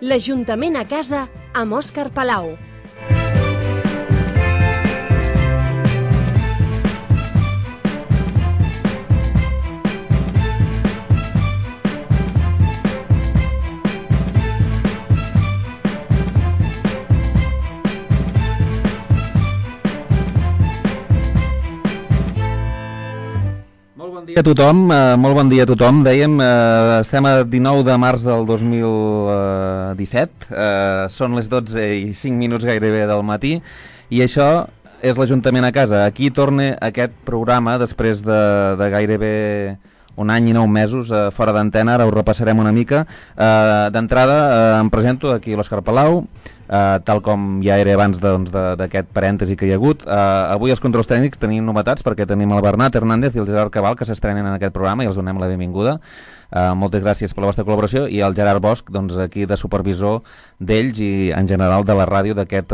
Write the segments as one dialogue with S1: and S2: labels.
S1: L'Ajuntament a casa amb Òscar Palau.
S2: Molt bon dia a tothom. Dèiem, estem a 19 de març del 2017, són les 12 i 5 minuts gairebé del matí, i això és l'Ajuntament a casa. Aquí torna aquest programa després de gairebé un any i 9 mesos fora d'antena. Ara ho repassarem una mica. D'entrada em presento, aquí l'Òscar Palau, tal com ja era abans d'aquest parèntesi que hi ha hagut. Avui els controls tècnics tenim novetats perquè tenim el Bernat Hernández i el Gerard Cabal que s'estrenen en aquest programa i els donem la benvinguda. Moltes gràcies per la vostra col·laboració, i el Gerard Bosch, doncs, aquí de supervisor d'ells i en general de la ràdio d'aquest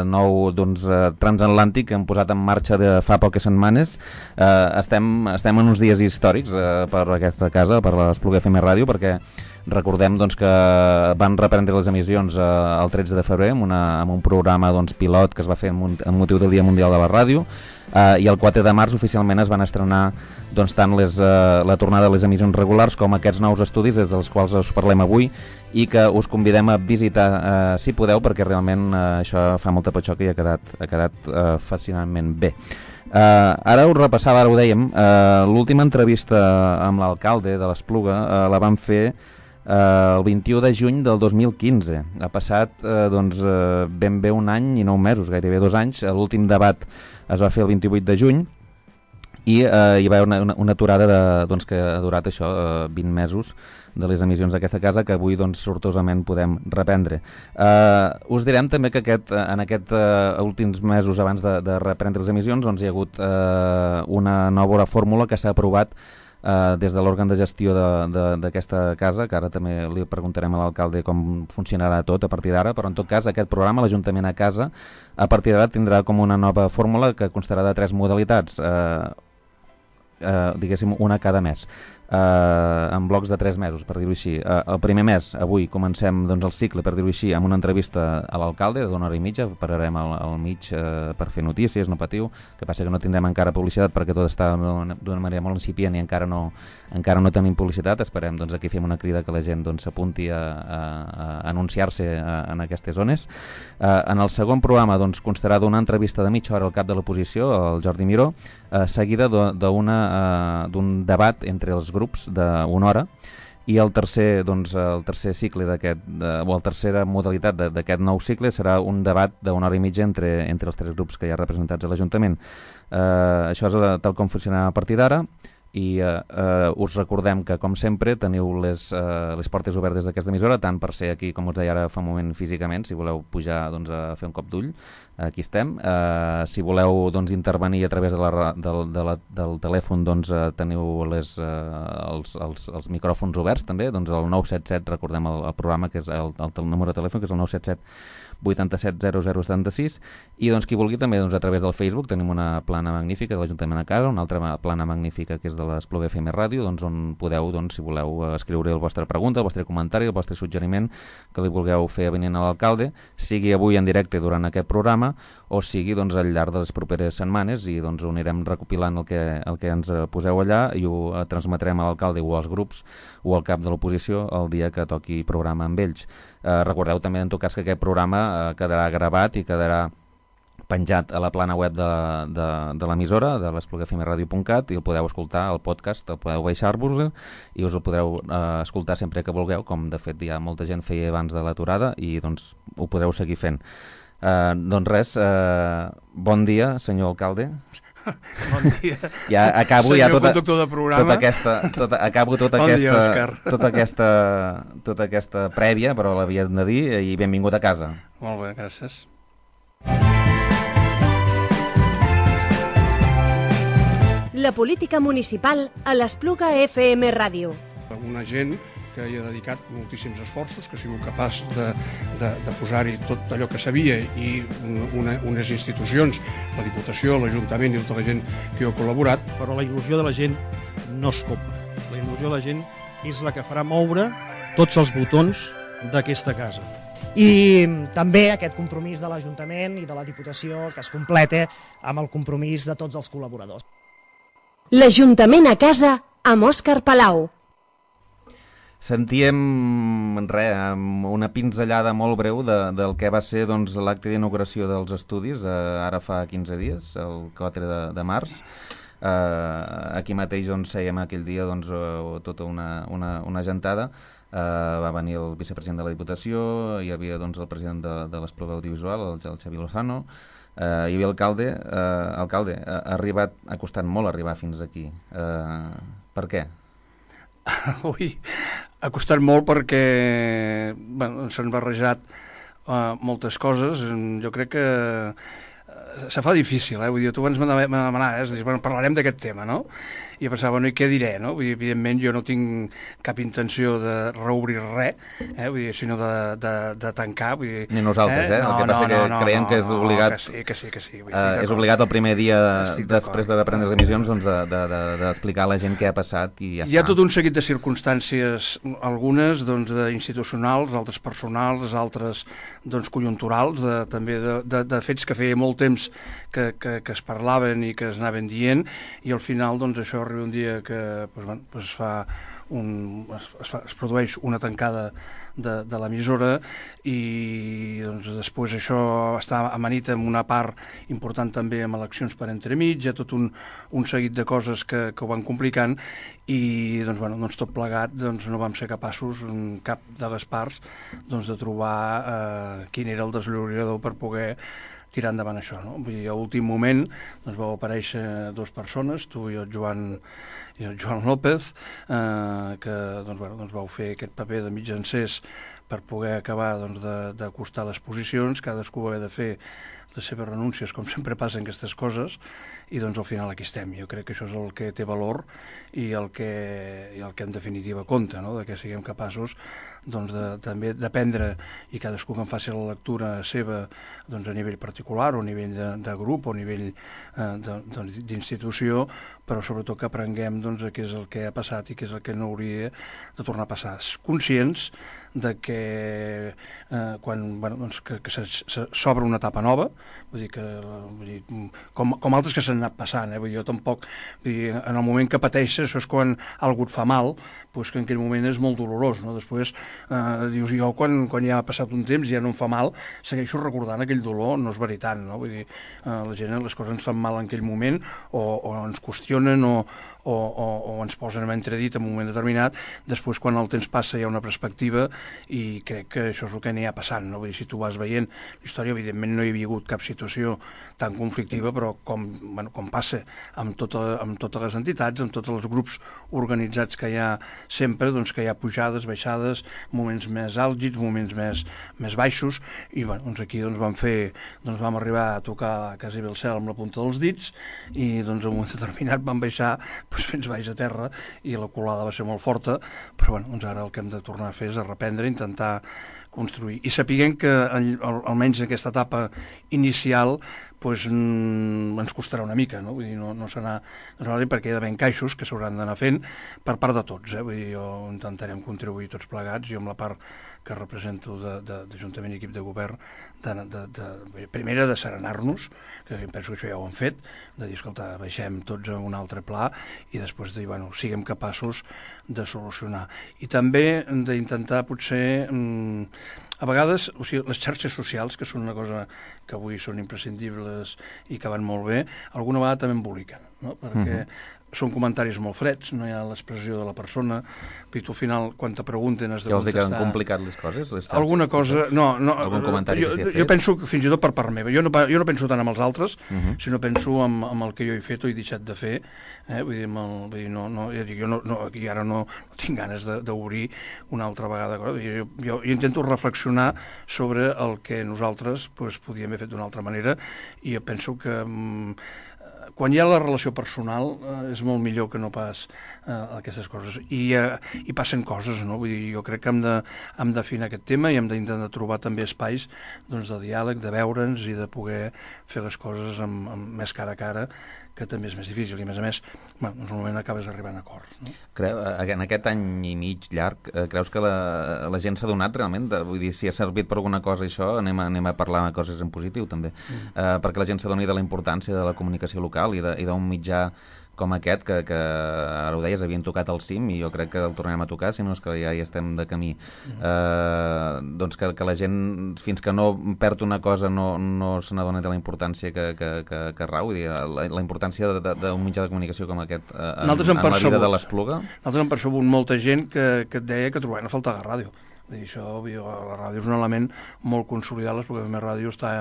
S2: nou transatlàntic que hem posat en marxa de fa poques setmanes. Estem en uns dies històrics per aquesta casa, per l'Espluga FM Ràdio, perquè recordem que van reprendre les emissions el 13 de febrer amb un programa pilot que es va fer amb motiu del Dia Mundial de la Ràdio, i el 4 de març oficialment es van estrenar tant la tornada de les emissions regulars com aquests nous estudis des dels quals us parlem avui i que us convidem a visitar si podeu, perquè realment això fa molta patxoca i ha quedat fascinantment bé. Ara us repassava, ara ho dèiem, l'última entrevista amb l'alcalde de l'Espluga la vam fer el 21 de juny del 2015. Ha passat ben bé un any i 9 mesos, gairebé 2 anys. L'últim debat es va fer el 28 de juny i hi va haver una aturada que ha durat 20 mesos de les emissions d'aquesta casa, que avui sortosament podem reprendre. Us direm també que en aquests últims mesos abans de reprendre les emissions hi ha hagut una nova fórmula que s'ha aprovat des de l'òrgan de gestió d'aquesta casa, que ara també li preguntarem a l'alcalde com funcionarà tot a partir d'ara, però en tot cas aquest programa, l'Ajuntament a casa, a partir d'ara tindrà com una nova fórmula que constarà de 3 modalitats, diguéssim una cada mes, en blocs de 3 mesos, per dir-ho així. El primer mes, avui, comencem el cicle, per dir-ho així, amb una entrevista a l'alcalde d'una hora i mitja. Pararem al mig per fer notícies, no patiu, que passa que no tindrem encara publicitat perquè tot està d'una manera molt incipient i encara no tenim publicitat. Esperem aquí fem una crida que la gent s'apunti a anunciar-se en aquestes zones. En el segon programa constarà d'una entrevista de mitja hora al cap de l'oposició, el Jordi Miró, seguida d'un debat entre els grups d'una hora, i el tercer cicle o la tercera modalitat d'aquest nou cicle serà un debat d'una hora i mitja entre els 3 grups que hi ha representats a l'Ajuntament. Això és tal com funcionarà a partir d'ara, i us recordem que, com sempre, teniu les portes obertes d'aquesta emissora, tant per ser aquí, com us deia ara fa un moment, físicament, si voleu pujar a fer un cop d'ull, aquí estem. Si voleu intervenir a través del telèfon, teniu els micròfons oberts també, el 977, recordem el programa, que és el número de telèfon, que és el 977 87 0076, i qui vulgui també a través del Facebook tenim una plana magnífica de l'Ajuntament a casa, una altra plana magnífica que és de l'Espluga FM Ràdio, on podeu, si voleu, escriure la vostra pregunta, el vostre comentari, el vostre suggeriment que li vulgueu fer avenint a l'alcalde, sigui avui en directe durant aquest programa o sigui al llarg de les properes setmanes, i ho anirem recopilant el que ens poseu allà i ho transmetrem a l'alcalde o als grups o al cap de l'oposició el dia que toqui programa amb ells. Recordeu també en tot cas que aquest programa quedarà gravat i quedarà penjat a la plana web de l'emissora, de l'esplugafmradio.cat, i el podeu escoltar, el podcast, el podeu baixar-vos i us el podreu escoltar sempre que vulgueu, com de fet ja molta gent feia abans de l'aturada, i ho podreu seguir fent. Res, bon dia, senyor alcalde.
S3: Bon dia,
S2: ja acabo
S3: senyor conductor de programa.
S2: Acabo tota aquesta prèvia, però l'havia de dir, i benvingut a casa.
S3: Molt bé, gràcies.
S1: La política municipal a l'Espluga FM Ràdio.
S3: Una gent que hi ha dedicat moltíssims esforços, que ha sigut capaç de posar-hi tot allò que sabia, i unes institucions, la Diputació, l'Ajuntament i tota la gent que hi ha col·laborat.
S4: Però la il·lusió de la gent no es compra. La il·lusió de la gent és la que farà moure tots els botons d'aquesta casa. I també aquest compromís de l'Ajuntament i de la Diputació que es complete amb el compromís de tots els col·laboradors.
S1: L'Ajuntament a casa amb Òscar Palau.
S2: Sentíem una pinzellada molt breu del que va ser l'acte d'inauguració dels estudis ara fa 15 dies, el 4 de març. Aquí mateix fèiem aquell dia tota una gentada. Va venir el vicepresident de la Diputació, hi havia el president de l'Espluga Audiovisual, el Xavi Lozano, hi havia l'alcalde. Alcalde, ha costat molt arribar fins aquí. Per què?
S3: Ui, ha costat molt perquè s'han barrejat moltes coses. Jo crec que se fa difícil, vull dir, tu abans me demanaves, parlarem d'aquest tema, no? I jo pensava, i què diré, no? Vull dir, evidentment jo no tinc cap intenció de reobrir res, vull dir, sinó de tancar, vull dir...
S2: Ni nosaltres, el que passa que creiem que és obligat...
S3: Que sí.
S2: És obligat el primer dia després de prendre les emissions d'explicar a la gent què ha passat i ja està.
S3: Hi ha tot un seguit de circumstàncies, algunes institucionals, altres personals, altres conjunturals, també de fets que feia molt temps que es parlaven i que es anaven dient, i al final això arriba un dia que es produeix una tancada de l'emissora i després això està amanit amb una part important també amb eleccions per entremig, hi ha tot un seguit de coses que ho van complicant i tot plegat no vam ser capaços en cap de les parts de trobar quin era el desllorigador per poder tirar endavant això, no? Vull dir, a últim moment vau aparèixer dues persones, tu i el Joan López, que vau fer aquest paper de mitjancers per poder acabar d'acostar les posicions, cadascú va haver de fer les seves renúncies, com sempre passen aquestes coses, i al final aquí estem. Jo crec que això és el que té valor i el que en definitiva compta, no? De que siguem capaços també d'aprendre i cadascú que en faci la lectura seva a nivell particular o a nivell de grup o a nivell d'institució, però sobretot que aprenguem què és el que ha passat i què és el que no hauria de tornar a passar. Conscients de que que s'obre una etapa nova, vull dir, com altres que s'han anat passant, vull dir, jo tampoc, en el moment que pateixes, això és quan algú et fa mal, doncs que en aquell moment és molt dolorós, no? Després dius, jo quan ja ha passat un temps ja no em fa mal, segueixo recordant aquell dolor, no és veritat, no? Vull dir, la gent, les coses ens fan mal en aquell moment o ens qüestionen o ens posen en entredit en un moment determinat, després quan el temps passa hi ha una perspectiva i crec que això és el que n'hi ha passant, no? Vull dir, si tu vas veient la història, evidentment no hi havia hagut cap situació tan conflictiva, però com passa amb totes les entitats, amb tots els grups organitzats que hi ha sempre, que hi ha pujades, baixades, moments més àlgids, moments més baixos, i aquí vam arribar a tocar quasi bé el cel amb la punta dels dits i en un moment determinat vam baixar fins baix a terra i la colada va ser molt forta, però ara el que hem de tornar a fer és a reprendre, intentar construir i sapiguem que almenys en aquesta etapa inicial ens costarà una mica, no? Vull dir, no serà perquè hi ha d'haver encaixos que s'hauran d'anar fent per part de tots, Vull dir, intentarem contribuir tots plegats, jo amb la part que represento d'Ajuntament i equip de govern, primera de serenar-nos, que penso que això ja ho han fet, de dir, escolta, baixem tots a un altre pla i després de dir, siguem capaços de solucionar. I també d'intentar potser a vegades, les xarxes socials, que són una cosa que avui són imprescindibles i que van molt bé, alguna vegada també emboliquen, no? Perquè són comentaris molt freds, no hi ha l'expressió de la persona, i tu al final, quan te pregunten, has de contestar...
S2: Que els han complicat les coses?
S3: Alguna cosa... No,
S2: algun comentari que s'hi ha fet?
S3: Jo penso que fins i tot per part meva. Jo no penso tant amb els altres, sinó penso amb el que jo he fet o he deixat de fer. Vull dir, aquí ara no tinc ganes d'obrir una altra vegada. Jo intento reflexionar sobre el que nosaltres podíem haver fet d'una altra manera i jo penso que quan hi ha la relació personal és molt millor que no pas aquestes coses. I passen coses, no? Vull dir, jo crec que hem d'afinar aquest tema i hem d'intentar trobar també espais de diàleg, de veure'ns i de poder fer les coses amb més cara a cara, també és més difícil, i a més, normalment acabes arribant a acords. No?
S2: En aquest any i mig llarg, creus que la gent s'ha donat realment? Vull dir, si ha servit per alguna cosa això, anem a parlar de coses en positiu, també. Perquè la gent s'adoni de la importància de la comunicació local i d'un mitjà com aquest, que ara ho deies, havien tocat el cim, i jo crec que el tornarem a tocar, si no és que ja hi estem de camí. Doncs que la gent, fins que no perd una cosa, no se n'adona de la importància que rau, vull dir, la importància d'un mitjà de comunicació com aquest en la vida de l'Espluga.
S3: Nosaltres hem percebut molta gent que et deia que trobaven a faltar la ràdio. Això, la ràdio és un element molt consolidat, l'Espluga FM Ràdio està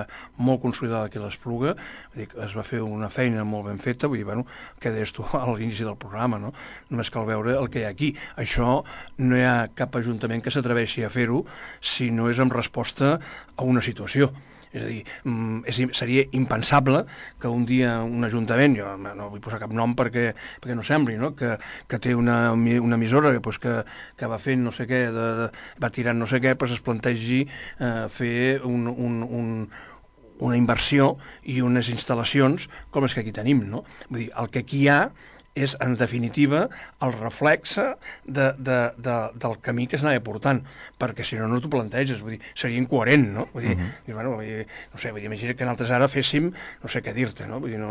S3: molt consolidada aquí a l'Espluga, es va fer una feina molt ben feta, vull dir, què deies tu a l'inici del programa, no? Només cal veure el que hi ha aquí. Això no hi ha cap ajuntament que s'atreveixi a fer-ho si no és en resposta a una situació. És a dir, seria impensable que un dia un ajuntament, jo no vull posar cap nom perquè no sembli, no? Que té una emissora que va fent no sé què, va tirant no sé què, es plantegi fer una inversió i unes instal·lacions com les que aquí tenim, no? Vull dir, el que aquí hi ha és, en definitiva, el reflexe del camí que s'anava portant, perquè si no t'ho planteges, vull dir, seria incoherent, no? Vull dir, imagina que nosaltres ara féssim, no sé què dir-te, no? Vull dir,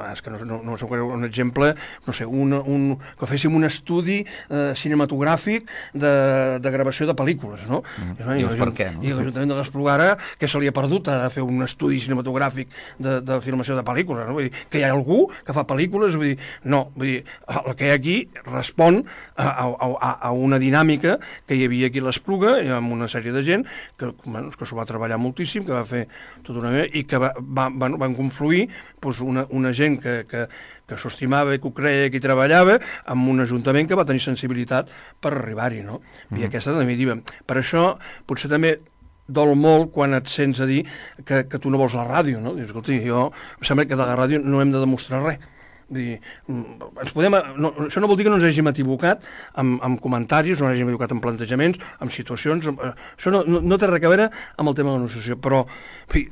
S3: és que no sé, un exemple, no sé, que féssim un estudi cinematogràfic de gravació de pel·lícules, no?
S2: Dius, per què, no?
S3: I l'Ajuntament de l'Espluga ara, que se li ha perdut a fer un estudi cinematogràfic de filmació de pel·lícules, no? Vull dir, que hi ha algú que fa pel·lícules, vull dir, no, vull dir, el que hi ha aquí respon a una dinàmica que hi havia aquí a l'Espluga, amb una sèrie de gent que s'ho va treballar moltíssim, que va fer tota una i que van confluir una gent que s'ho estimava i que ho creia, que hi treballava, amb un ajuntament que va tenir sensibilitat per arribar-hi, no? I aquesta definitiva. Per això, potser també dol molt quan et sents a dir que tu no vols la ràdio, no? Dius, escolti, em sembla que de la ràdio no hem de demostrar res. Dir, això no vol dir que no ens hàgim equivocat amb comentaris, no ens hàgim equivocat en plantejaments, en situacions, això no té res a veure amb el tema de la negociació, però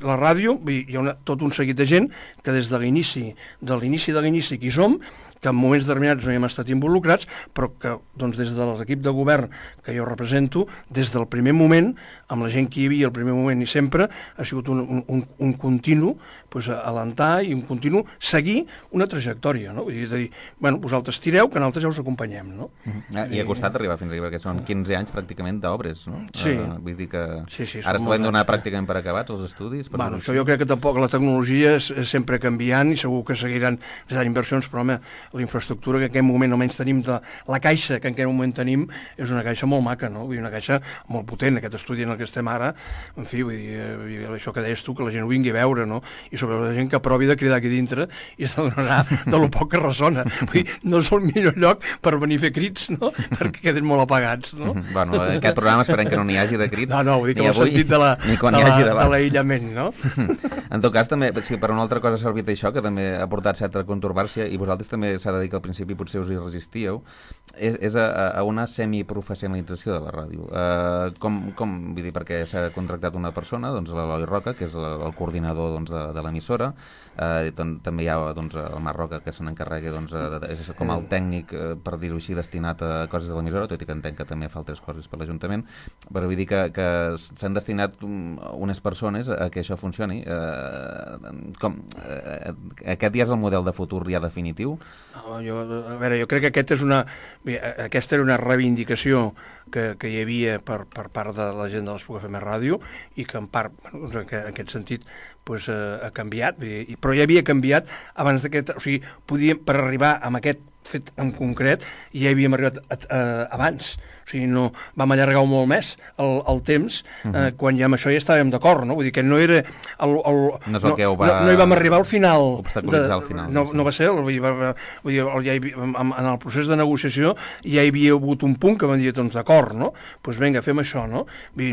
S3: la ràdio, hi ha tot un seguit de gent que des de l'inici que hi som, que en moments determinats no hi hem estat involucrats, però que doncs, des de l'equip de govern que jo represento, des del primer moment, amb la gent que hi havia al primer moment i sempre, ha sigut un continu alentar i un continu seguir una trajectòria, no? Vull dir, vosaltres tireu, que nosaltres ja us acompanyem, no?
S2: I ha costat arribar fins aquí, perquè són 15 anys pràcticament d'obres, no?
S3: Sí.
S2: Vull dir que
S3: sí,
S2: ara es poden donar pràcticament per acabats els estudis.
S3: Això jo crec que tampoc la tecnologia és sempre canviant i segur que seguiran necessitant inversions, però home, la infraestructura que en aquest moment almenys tenim, la caixa que en aquest moment tenim, és una caixa molt maca, no? Vull dir, una caixa molt potent, aquest estudi en el que estem ara, en fi, vull dir, això que deies tu, que la gent ho vingui a veure, no? I sobretot la gent que provi de cridar aquí dintre i s'adonarà de lo poc que ressona. Vull dir, no és el millor lloc per venir a fer crits, no? Perquè queden molt apagats, no?
S2: Bueno, en aquest programa esperem que no n'hi hagi de crits.
S3: No, vull dir que ho he sentit de l'aïllament, no?
S2: En tot cas, també, si per una altra cosa ha servit això, que també ha portat certa controvèrsia, i vosaltres també s'ha de dir que al principi potser us hi resistíeu, és a una semiprofessionalització de la ràdio. Com vull dir, perquè s'ha contractat una persona, doncs l'Eloi Roca, que és el coordinador de l'emissora, també hi ha el Marc Roca, que se n'encarrega, és com el tècnic, per dir-ho així, destinat a coses de l'emissora, tot i que entenc que també fa altres coses per l'Ajuntament, però vull dir que s'han destinat unes persones a que això funcioni. Aquest ja és el model de futur ja definitiu?
S3: A veure, jo crec que aquesta era una reivindicació que hi havia per part de la gent de l'Espluga FM Ràdio i que en part, en aquest sentit, ha canviat, però ja havia canviat abans d'aquest... O sigui, per arribar a aquest fet en concret ja hi havíem arribat abans. O sigui, no vam allargar molt més el temps quan ja amb això ja estàvem d'acord, no? Vull dir que no era...
S2: No
S3: hi vam arribar al final.
S2: Obstaculitzar al final.
S3: No va ser, en el procés de negociació ja hi havia hagut un punt que vam dir, doncs d'acord, no? Doncs vinga, fem això, no? I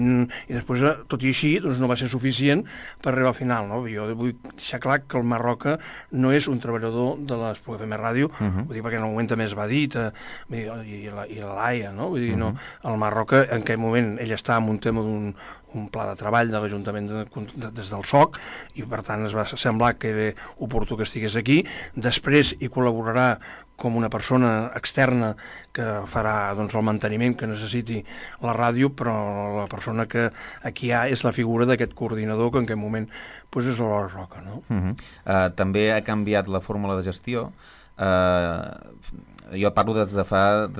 S3: després, tot i així, no va ser suficient per arribar al final, no? Jo vull deixar clar que el Marc Roca no és un treballador de l'Espluga FM Ràdio, vull dir, perquè en el moment també es va dir, i la Laia, no? Vull dir, el Marc Roca, en aquell moment, ell estava en un tema d'un un pla de treball de l'Ajuntament des del SOC, i per tant es va semblar que era oportú que estigués aquí. Després hi col·laborarà com una persona externa que farà doncs, el manteniment que necessiti la ràdio, però la persona que aquí hi ha és la figura d'aquest coordinador, que en aquest moment doncs, és l'Hora Roca. No?
S2: També ha canviat la fórmula de gestió. Jo parlo des de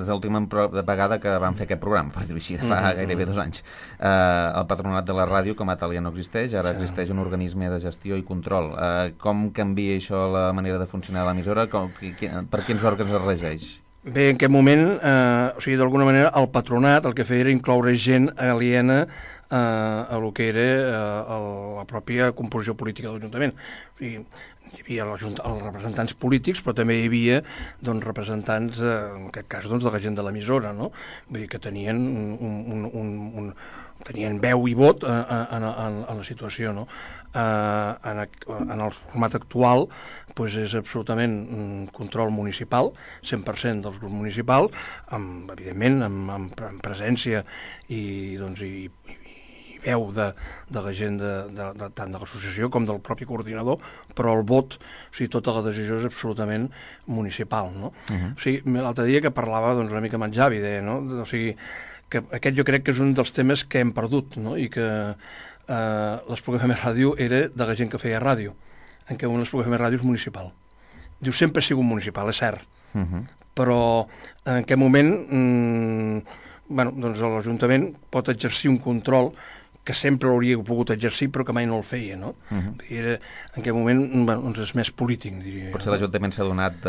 S2: l'última vegada que vam fer aquest programa, per dir-ho així, de fa gairebé 2 anys. El patronat de la ràdio com a tal ja no existeix, ara existeix un organisme de gestió i control. Com canvia això la manera de funcionar de l'emissora? Per quins òrgans es regeix?
S3: Bé, en aquest moment, d'alguna manera, el patronat el que feia era incloure gent aliena a lo que era la pròpia composició política de l'Ajuntament. O sigui, hi havia els representants polítics, però també hi havia representants, en aquest cas, de la gent de l'emissora, no? Vull dir que tenien tenien veu i vot en la situació, no? En el format actual doncs és absolutament control municipal, 100% dels grups municipals, evidentment amb presència i veu de la gent tant de l'associació com del propi coordinador, però el vot, o sigui, tota la decisió és absolutament municipal, no? O sigui, l'altre dia que parlava una mica amb en Javi, deia, no? O sigui, que aquest jo crec que és un dels temes que hem perdut, no? I que l'Espluga FM Ràdio era de la gent que feia ràdio, en què l'Espluga FM Ràdio és municipal. Diu, sempre ha sigut municipal, és cert, però en aquest moment l'Ajuntament pot exercir un control que sempre l'hauria pogut exercir però que mai no el feia, no? En aquest moment és més polític, diria.
S2: Potser l'Ajuntament s'ha donat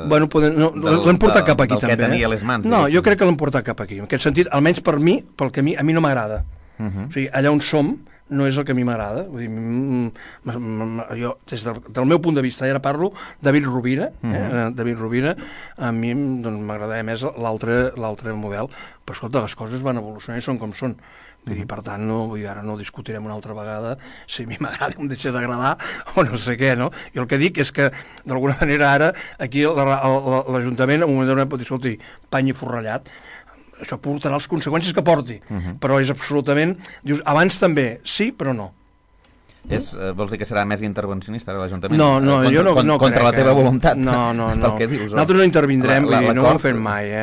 S3: l'hem portat cap aquí també.
S2: Del que tenia a les mans.
S3: No, jo crec que l'hem portat cap aquí. En aquest sentit, almenys per mi, pel que a mi no m'agrada. O sigui, allà on som no és el que a mi m'agrada. Vull dir, jo, des del meu punt de vista, ara parlo, David Rovira, David Rovira, a mi m'agradava més l'altre model, però escolta, les coses van evolucionar i són com són. I per tant, ara no discutirem una altra vegada si a mi m'agrada o em deixa d'agradar o no sé què, no? Jo el que dic és que d'alguna manera ara aquí l'Ajuntament en un moment donat pot dir, escolti, pany i forrellat, això portarà les conseqüències que porti, però és absolutament, dius, abans també, sí, però no.
S2: Vols dir que serà més intervencionista l'Ajuntament?
S3: No, jo no crec.
S2: Contra la teva voluntat?
S3: No.
S2: Que dius,
S3: nosaltres no intervindrem, no ho hem fet mai,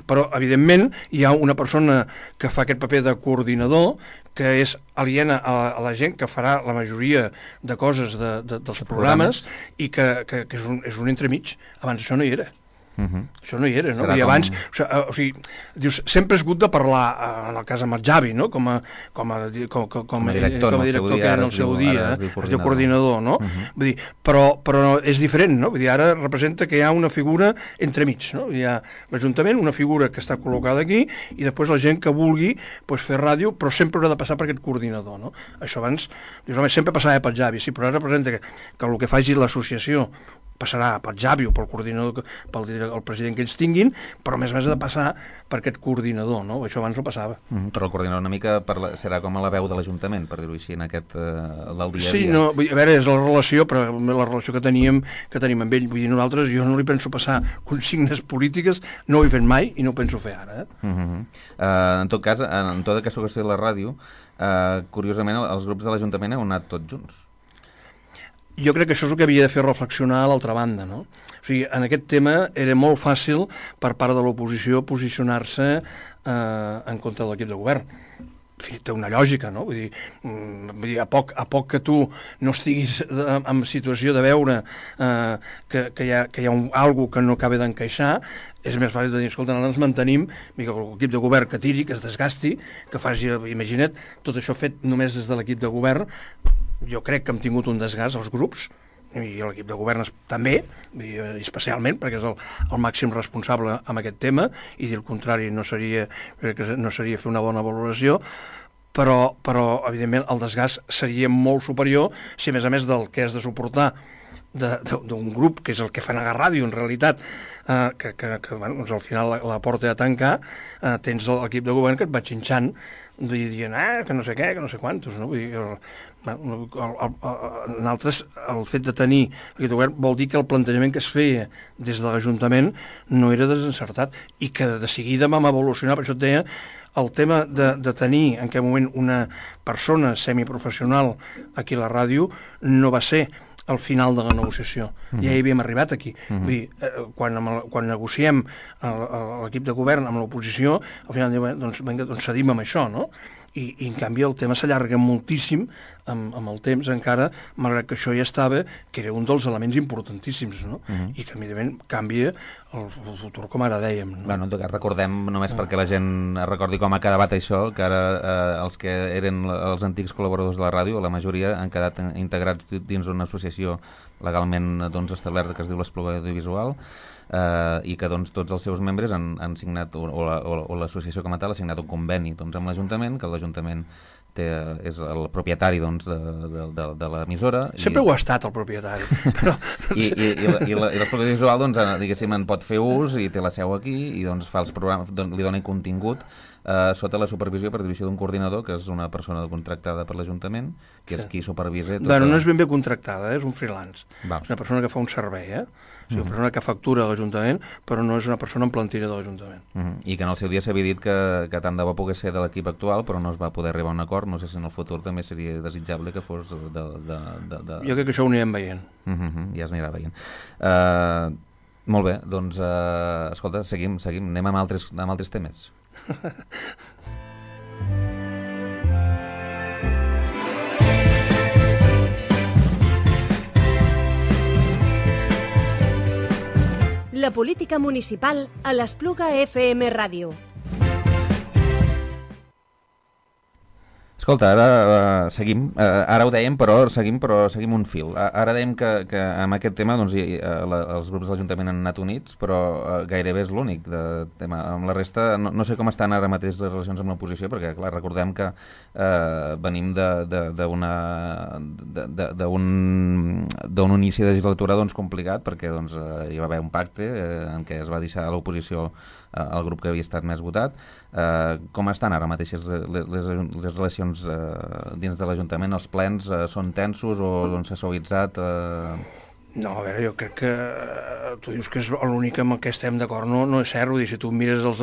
S3: però evidentment hi ha una persona que fa aquest paper de coordinador que és aliena a la gent que farà la majoria de coses dels programes i que és un entremig. Abans això no hi era. Això no hi era, no? I abans, o sigui, dius, sempre has hagut de parlar, en el cas amb el Javi, no? Com a director que era en el seu dia, es diu coordinador, no? Vull dir, però és diferent, no? Vull dir, ara representa que hi ha una figura entremig, no? Hi ha l'Ajuntament, una figura que està col·locada aquí, i després la gent que vulgui fer ràdio, però sempre haurà de passar per aquest coordinador, no? Això abans, dius, home, sempre passava pel Javi, sí, però ara representa que el que faci l'associació passarà pel Javi o pel coordinador, pel president que ells tinguin, però a més ha de passar per aquest coordinador, no? Això abans no passava.
S2: Però el coordinador una mica serà com a la veu de l'Ajuntament, per dir-ho així, en aquest del dia a dia.
S3: Sí, no, a veure, és la relació, però la relació que teníem amb ell, vull dir, nosaltres, jo no li penso passar consignes polítiques, no ho he fet mai i no ho penso fer ara.
S2: En tot cas, en tota aquesta qüestió de la ràdio, curiosament, els grups de l'Ajuntament heu anat tots junts.
S3: Jo crec que això és el que havia de fer reflexionar a l'altra banda, no? O sigui, en aquest tema era molt fàcil per part de l'oposició posicionar-se en contra de l'equip de govern. Té una lògica, no? Vull dir, a poc que tu no estiguis en situació de veure que hi ha alguna que no acaba d'encaixar, és més fàcil de dir, escolta, nosaltres mantenim que l'equip de govern que tiri, que es desgasti, que faci, imagina't, tot això fet només des de l'equip de govern. Jo crec que hem tingut un desgast als grups, i l'equip de govern també, especialment, perquè és el màxim responsable amb aquest tema, i dir el contrari no seria fer una bona valoració, però evidentment el desgast seria molt superior si a més del que has de suportar d'un grup, que és el que fa negar ràdio en realitat, que al final la porta a tancar, tens l'equip de govern que et va xinxant dient que no sé què, que no sé quantos, no? Vull dir, nosaltres, el fet de tenir aquest govern vol dir que el plantejament que es feia des de l'Ajuntament no era desencertat i que de seguida vam evolucionar, per això et deia, el tema de tenir en aquell moment una persona semiprofessional aquí a la ràdio no va ser al final de la negociació. Ja hi havíem arribat aquí. Vull dir, quan negociem l'equip de govern amb l'oposició, al final diuen, doncs cedim amb això, no? I en canvi el tema s'allarga moltíssim amb el temps encara, malgrat que això ja estava, que era un dels elements importantíssims, no? I que evidentment canvia el futur, com ara dèiem, no?
S2: Bueno, en tot cas, recordem, només perquè la gent recordi com ha quedat això, que ara els que eren els antics col·laboradors de la ràdio, la majoria han quedat integrats dins d'una associació legalment establerta que es diu l'Espluga Audiovisual, i que tots els seus membres han signat, o l'associació com a tal ha signat un conveni amb l'Ajuntament, que l'Ajuntament és el propietari de l'emissora.
S3: Sempre ho ha estat el propietari. Però...
S2: I l'Espluga Audiovisual, diguéssim, en pot fer ús i té la seu aquí i fa els programes, li dona contingut sota la supervisió per divisió d'un coordinador, que és una persona contractada per l'Ajuntament, que és qui supervisa...
S3: Bueno, no és ben bé contractada, és un freelance. És una persona que fa un servei, o sigui, una persona que factura a l'Ajuntament, però no és una persona en plantilla de l'Ajuntament.
S2: I que en el seu dia s'havia dit que tant de bo pogués ser de l'equip actual, però no es va poder arribar a un acord. No sé si en el futur també seria desitjable que fos de...
S3: Jo crec que això ho anirem veient.
S2: Ja es anirà veient. Molt bé, doncs, escolta, seguim, anem amb altres temes.
S1: La política municipal a l'Espluga FM Ràdio.
S2: Escolta, ara seguim, ara ho dèiem, però seguim un fil. Ara dèiem que amb aquest tema els grups de l'Ajuntament han anat units, però gairebé és l'únic tema. Amb la resta, no sé com estan ara mateix les relacions amb l'oposició, perquè clar, recordem que venim d'un inici de legislatura complicat, perquè hi va haver un pacte en què es va deixar a l'oposició el grup que havia estat més votat. Com estan ara mateix les relacions dins de l'Ajuntament? Els plens són tensos o s'ha suavitzat?
S3: No, a veure, jo crec que tu dius que és l'únic amb el que estem d'acord, no és cert. Vull dir, si tu mires el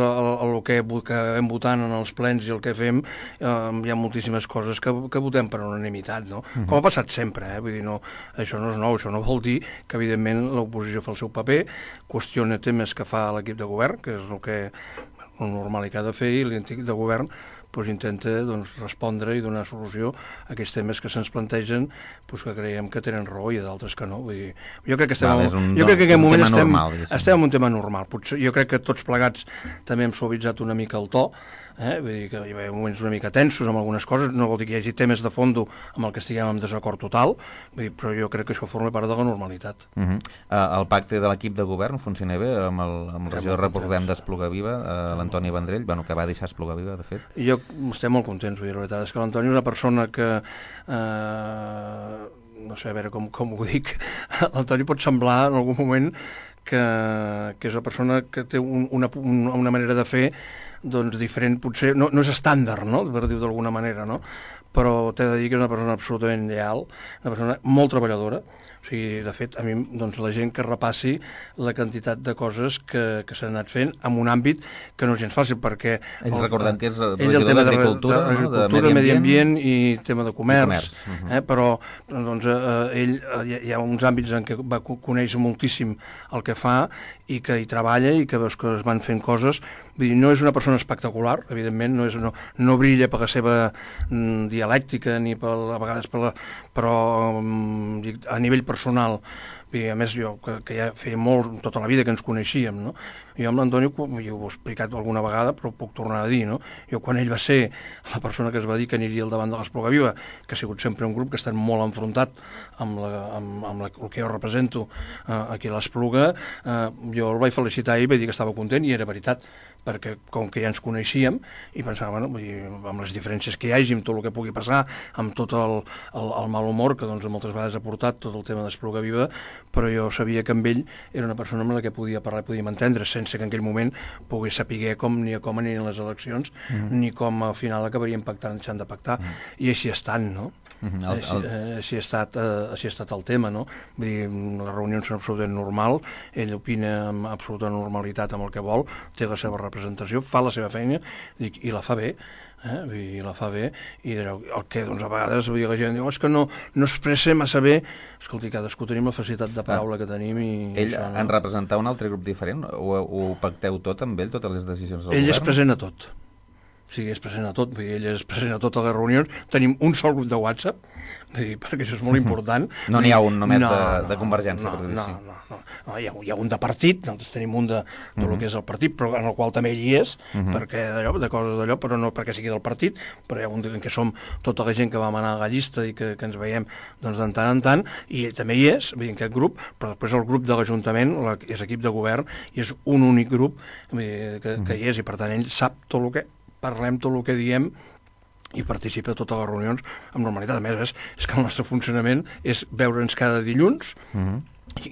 S3: que vam votant en els plens i el que fem, hi ha moltíssimes coses que votem per unanimitat, no? Com ha passat sempre, vull dir, no, això no és nou, això no vol dir que evidentment l'oposició fa el seu paper, qüestiona temes que fa l'equip de govern, que és el normal que ha de fer, i l'equip de govern intenta respondre i donar solució a aquests temes que se'ns plantegen, que creiem que tenen raó i d'altres que no. Vull dir, jo crec que en aquest moment estem en un tema normal. Jo crec que tots plegats també hem suavitzat una mica el to, vull dir que hi ha moments una mica tensos amb algunes coses, no vol dir que hi hagi temes de fondo amb el que estiguem en desacord total, però jo crec que això forma part de la normalitat.
S2: El pacte de l'equip de govern funciona bé amb el regidor recordem d'Espluga Viva, l'Antoni Vendrell, que va deixar Espluga Viva, de fet.
S3: Jo estem molt contents, vull dir, la veritat és que l'Antoni és una persona que no sé, a veure com ho dic, l'Antoni pot semblar en algun moment que és una persona que té una manera de fer diferent, potser no és estàndard, no?, per dir-ho d'alguna manera, no? Però t'he de dir que és una persona absolutament lleal, una persona molt treballadora. O sigui, de fet, a mi, la gent que repassi la quantitat de coses que s'han anat fent en un àmbit que no és gens fàcil, perquè...
S2: Recordem que és
S3: regidor d'Agricultura, Medi Ambient i tema de comerç. Però ell hi ha uns àmbits en què va conèixer moltíssim el que fa i que hi treballa i que veus que es van fent coses. Vull dir, no és una persona espectacular, evidentment, no brilla per la seva dialèctica ni a vegades però a nivell personal. A més, jo, que ja feia molt, tota la vida que ens coneixíem, no? Jo amb l'Antoni, jo ho he explicat alguna vegada, però ho puc tornar a dir, no? Jo, quan ell va ser la persona que es va dir que aniria al davant de l'Espluga Viva, que ha sigut sempre un grup que ha estat molt enfrontat amb el que jo represento aquí a l'Espluga, jo el vaig felicitar i vaig dir que estava content, i era veritat, perquè com que ja ens coneixíem i pensava, amb les diferències que hi hagi, amb tot el que pugui passar, amb tot el mal humor que moltes vegades ha portat tot el tema d'Espluga Viva, però jo sabia que amb ell era una persona amb la que podia parlar i podíem entendre, sense que en aquell moment pogués saber com anirien les eleccions, ni com al final acabaríem pactant, deixant de pactar, i així estan, no? Així ha estat el tema, no? Vull dir, les reunions són absolutament normal, ell opina amb absoluta normalitat amb el que vol, té la seva representació, fa la seva feina i la fa bé. I la fa bé, i el que doncs, a vegades la gent diu és que no expressa massa bé. Escolti, cadascú tenim la facilitat de paraula que tenim i
S2: ell en representar un altre grup diferent? Ho pacteu tot amb ell, totes les decisions del govern?
S3: Ell és present a tot. O sigui, és present a tot, ell és present a totes les reunions. Tenim un sol grup de WhatsApp, perquè això és molt important.
S2: No n'hi ha un només de Convergència?
S3: No, hi ha un de partit, nosaltres tenim un de lo que és el partit, però en el qual també ell hi és, perquè de coses d'allò, però no perquè sigui del partit, però hi ha un en què som tota la gent que vam anar a la llista i que ens veiem doncs, de tant en tant, i ell també hi és, en aquest grup, però després el grup de l'Ajuntament és equip de govern i és un únic grup que hi és, i per tant ell sap tot el que parlem, tot el que diem, i participa a totes les reunions amb normalitat. A més, és que el nostre funcionament és veure'ns cada dilluns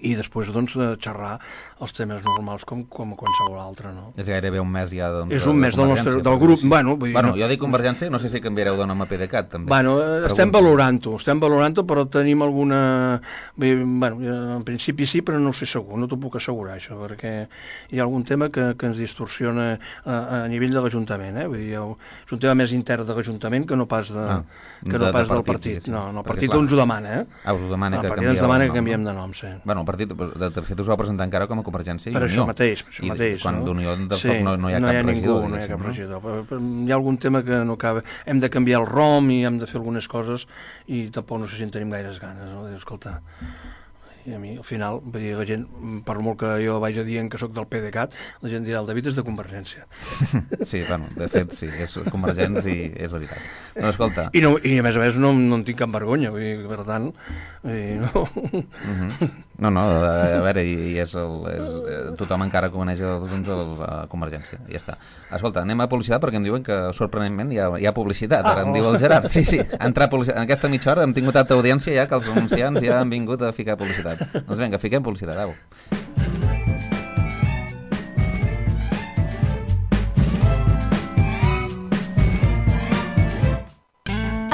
S3: i després doncs xerrar els temes normals com qualsevol altre, no?
S2: És gairebé un mes ja, doncs,
S3: és un mes del grup. Vull dir,
S2: jo dic Convergència, no sé si canviareu de nom a PDeCAT, també.
S3: Estem valorant-ho, però tenim alguna... en principi sí, però no ho sé segur, no t'ho puc assegurar, això, perquè hi ha algun tema que ens distorsiona a nivell de l'Ajuntament, Vull dir, és un tema més intern de l'Ajuntament que no pas del partit. No, el partit ens ho demana,
S2: us ho demana
S3: que canvieu. El partit ens demana que canviem de nom, sí.
S2: El partit, de fet, us va presentar encara com a Convergència i
S3: per
S2: Unió.
S3: Això mateix.
S2: Quan d'Unió no hi ha cap regidor.
S3: No hi ha cap regidor. Hi ha algun tema que no acaba. Hem de canviar el ROM i hem de fer algunes coses i tampoc no sé si en tenim gaires ganes, no? Escolta, i a mi, al final, la gent, per molt que jo vaig a dir que sóc del PDeCAT, la gent dirà, el David és de Convergència.
S2: Sí, de fet, sí, és Convergència i és veritat. No, escolta...
S3: I a més no en tinc cap vergonya, vull dir, per tant...
S2: No, a veure, tothom encara coneix a Convergència, i ja està. Escolta, anem a publicitat perquè em diuen que, sorprenentment, hi ha publicitat, ara em diu el Gerard. Sí, entrar publicitat. En aquesta mitja hora hem tingut tanta audiència ja que els anunciants ja han vingut a ficar publicitat. Doncs vinga, fiquem publicitat, au.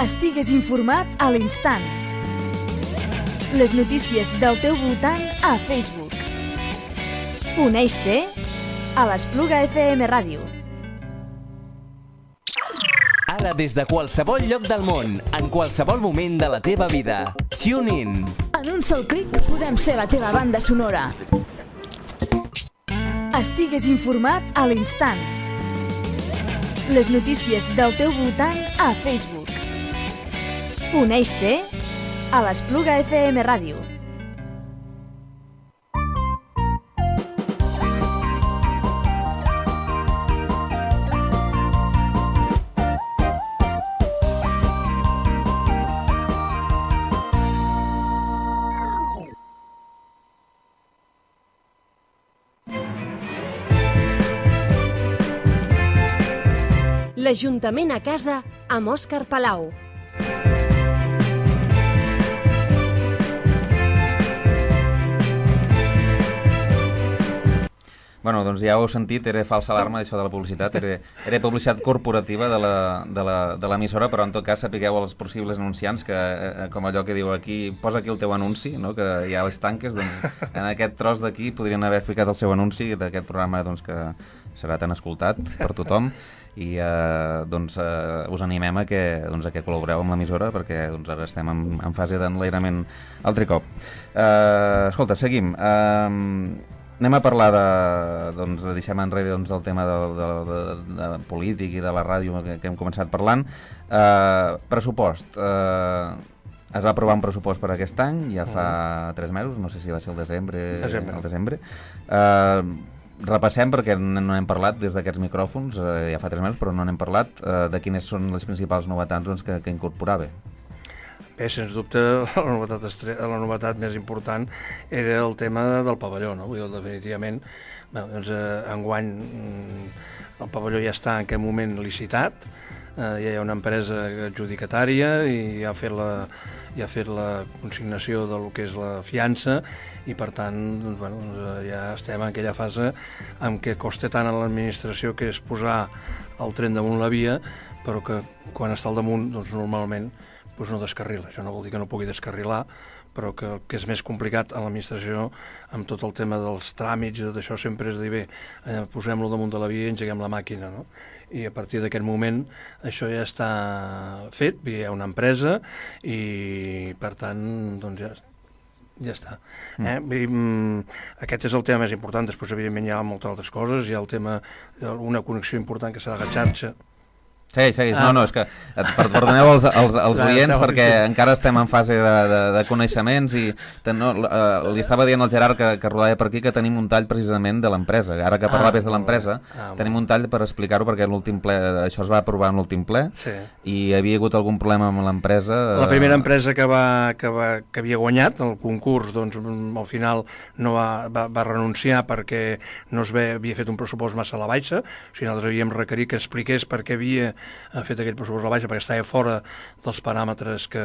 S5: Estigues informat a l'instant. Les notícies del teu voltant a Facebook. Uneix-te a l'Espluga FM Ràdio.
S6: Ara des de qualsevol lloc del món, en qualsevol moment de la teva vida. Tune in.
S5: En un sol clic podem ser la teva banda sonora. Estigues informat a l'instant. Les notícies del teu voltant a Facebook. Uneix-te a l'Espluga FM Ràdio.
S1: L'Ajuntament a casa amb Òscar Palau.
S2: Bueno, doncs ja ho heu sentit, era falsa alarma això de la publicitat, era publicitat corporativa de l'emissora, però en tot cas sapigueu els possibles anunciants que, com allò que diu aquí, posa aquí el teu anunci, no? Que hi ha les tanques, doncs en aquest tros d'aquí podrien haver ficat el seu anunci d'aquest programa doncs, que serà tan escoltat per tothom i doncs us animem a que col·laboreu amb l'emissora perquè doncs, ara estem en fase d'enlairament altre cop. Escolta, seguim. Anem a parlar deixem enrere del tema de polític i de la ràdio que hem començat parlant. Pressupost. Es va aprovar un pressupost per aquest any, ja fa 3 mesos, no sé si va ser el desembre. Repassem perquè no n'hem parlat des d'aquests micròfons, ja fa 3 mesos, però no n'hem parlat de quines són les principals novetats que incorporava.
S3: Bé, sens dubte, la novetat més important era el tema del pavelló, no? Vull dir, definitivament, doncs, enguany el pavelló ja està en aquest moment licitat, ja hi ha una empresa adjudicatària i ja ha fet la consignació del que és la fiança i, per tant, doncs, ja estem en aquella fase en què costa tant a l'administració que és posar el tren damunt la via, però que quan està al damunt, doncs, normalment doncs no descarrila. Això no vol dir que no pugui descarrilar, però que el que és més complicat a l'administració, amb tot el tema dels tràmits, d'això sempre és dir, bé, posem-lo damunt de la via i engeguem la màquina, no? I a partir d'aquest moment això ja està fet, hi ha una empresa i per tant doncs ja està. Aquest és el tema més important. Després evidentment hi ha moltes altres coses, hi ha el tema, una connexió important que serà la xarxa.
S2: Segueix. No, és que perdoneu els oients perquè encara estem en fase de coneixements i li estava dient al Gerard que rodava per aquí que tenim un tall precisament de l'empresa. Ara que parlaves de l'empresa, tenim un tall per explicar-ho perquè l'últim ple, això es va aprovar en l'últim ple i hi havia hagut algun problema amb l'empresa.
S3: La primera empresa que havia guanyat el concurs, doncs al final no va renunciar perquè no havia fet un pressupost massa a la baixa, o sigui, nosaltres havíem requerit que expliqués per què havia fet aquell pressupost a la baixa, perquè estava fora dels paràmetres que...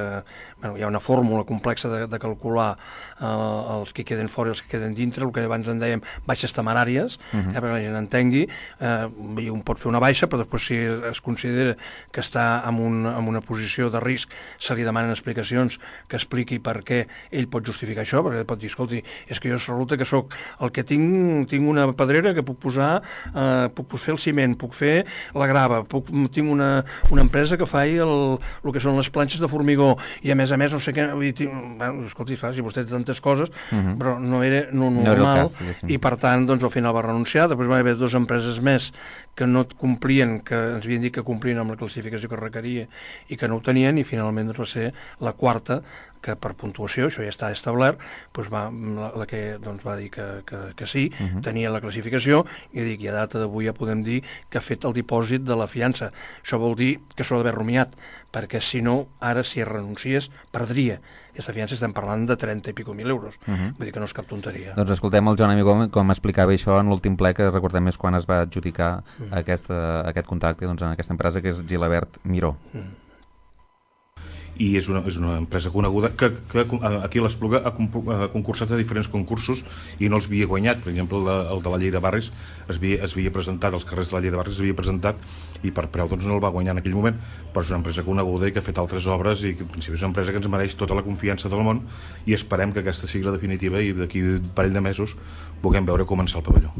S3: hi ha una fórmula complexa de calcular els que queden fora i els que queden dintre, el que abans en dèiem baixes temeràries, perquè la gent entengui, un pot fer una baixa, però després si es considera que està en una posició de risc, se li demanen explicacions, que expliqui per què ell pot justificar això, perquè pot dir, escolti, és que jo resulta que sóc el que tinc una pedrera que puc posar, puc fer el ciment, puc fer la grava, tinc una empresa que fa el que són les planxes de formigó i a més no sé què, escolti, clar, si vostè té tantes coses, però no era normal i per tant doncs al final va renunciar. Després va haver 2 empreses més que no complien, que ens havien dit que complien amb la classificació que requeria i que no ho tenien, i finalment doncs, va ser la quarta que per puntuació, això ja està establert, doncs la que doncs, va dir que sí, tenia la classificació, i dic, i a data d'avui ja podem dir que ha fet el dipòsit de la fiança. Això vol dir que s'ho ha d'haver rumiat, perquè si no, ara si es renunciés, perdria. Aquesta fiança estem parlant de 30 i pico mil euros. Vull dir que no és cap tonteria.
S2: Doncs escoltem el Joan Amigó com explicava això en l'últim ple, que recordem és quan es va adjudicar aquest contracte doncs, en aquesta empresa que és Gilabert Miró.
S7: I és una empresa coneguda que aquí a l'Espluga ha concursat a diferents concursos i no els havia guanyat. Per exemple, el de la llei de barris es havia presentat, els carrers de la llei de barris es havia presentat i per preu doncs, no el va guanyar en aquell moment, però és una empresa coneguda i que ha fet altres obres i que en principi és una empresa que ens mereix tota la confiança del món i esperem que aquesta sigui la definitiva i d'aquí un parell de mesos puguem veure començar el pavelló.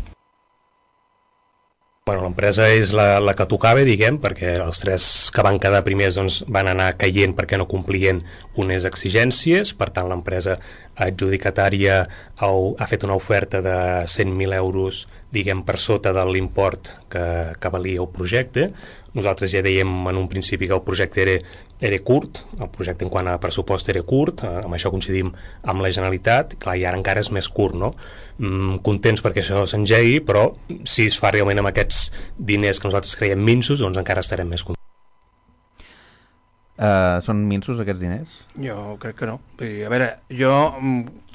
S8: Bueno, l'empresa és la que tocava, diguem, perquè els 3 que van quedar primers doncs, van anar caient perquè no complien unes exigències. Per tant, l'empresa adjudicatària ha fet una oferta de 100.000 euros, diguem, per sota de l'import que valia el projecte. Nosaltres ja dèiem en un principi que el projecte era curt, el projecte en quant a pressupost era curt, amb això coincidim amb la Generalitat, clar, i ara encara és més curt, no? Contents perquè això s'engegui, però si es fa realment amb aquests diners que nosaltres creiem minsos, doncs encara estarem més contents.
S2: Són minsos aquests diners?
S3: Jo crec que no. A veure, jo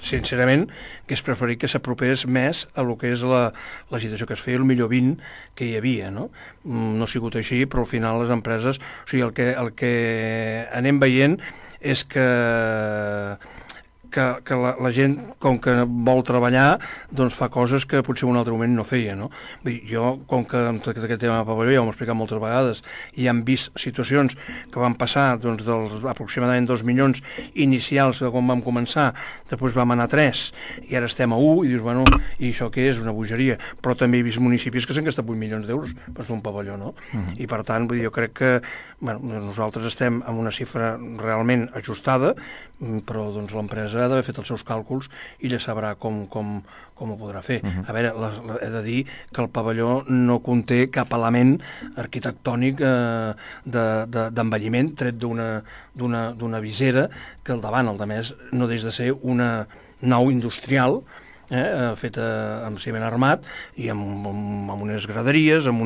S3: sincerament hagués preferit que s'apropés més a lo que és la situació que es feia, el millor 20 que hi havia, no? No ha sigut així, però al final les empreses, o sigui, el que anem veient és que la gent, com que vol treballar, doncs fa coses que potser en un altre moment no feia, no? Vull dir, jo, com que amb tot aquest tema de pavelló ja ho hem explicat moltes vegades i hem vist situacions que van passar doncs, dels aproximadament 2 milions inicials de quan vam començar, després vam anar a 3 i ara estem a 1 i dius, bueno, i això què és? Una bogeria. Però també he vist municipis que s'han gastat 8 milions d'euros per fer un pavelló, no? I per tant, vull dir, jo crec que nosaltres estem amb una xifra realment ajustada, però doncs l'empresa ha d'haver fet els seus càlculs i ja sabrà com ho podrà fer. A veure, he de dir que el pavelló no conté cap element arquitectònic d'envelliment tret d'una visera que al davant, al demés, no deix de ser una nau industrial feta amb ciment armat i amb unes graderies, amb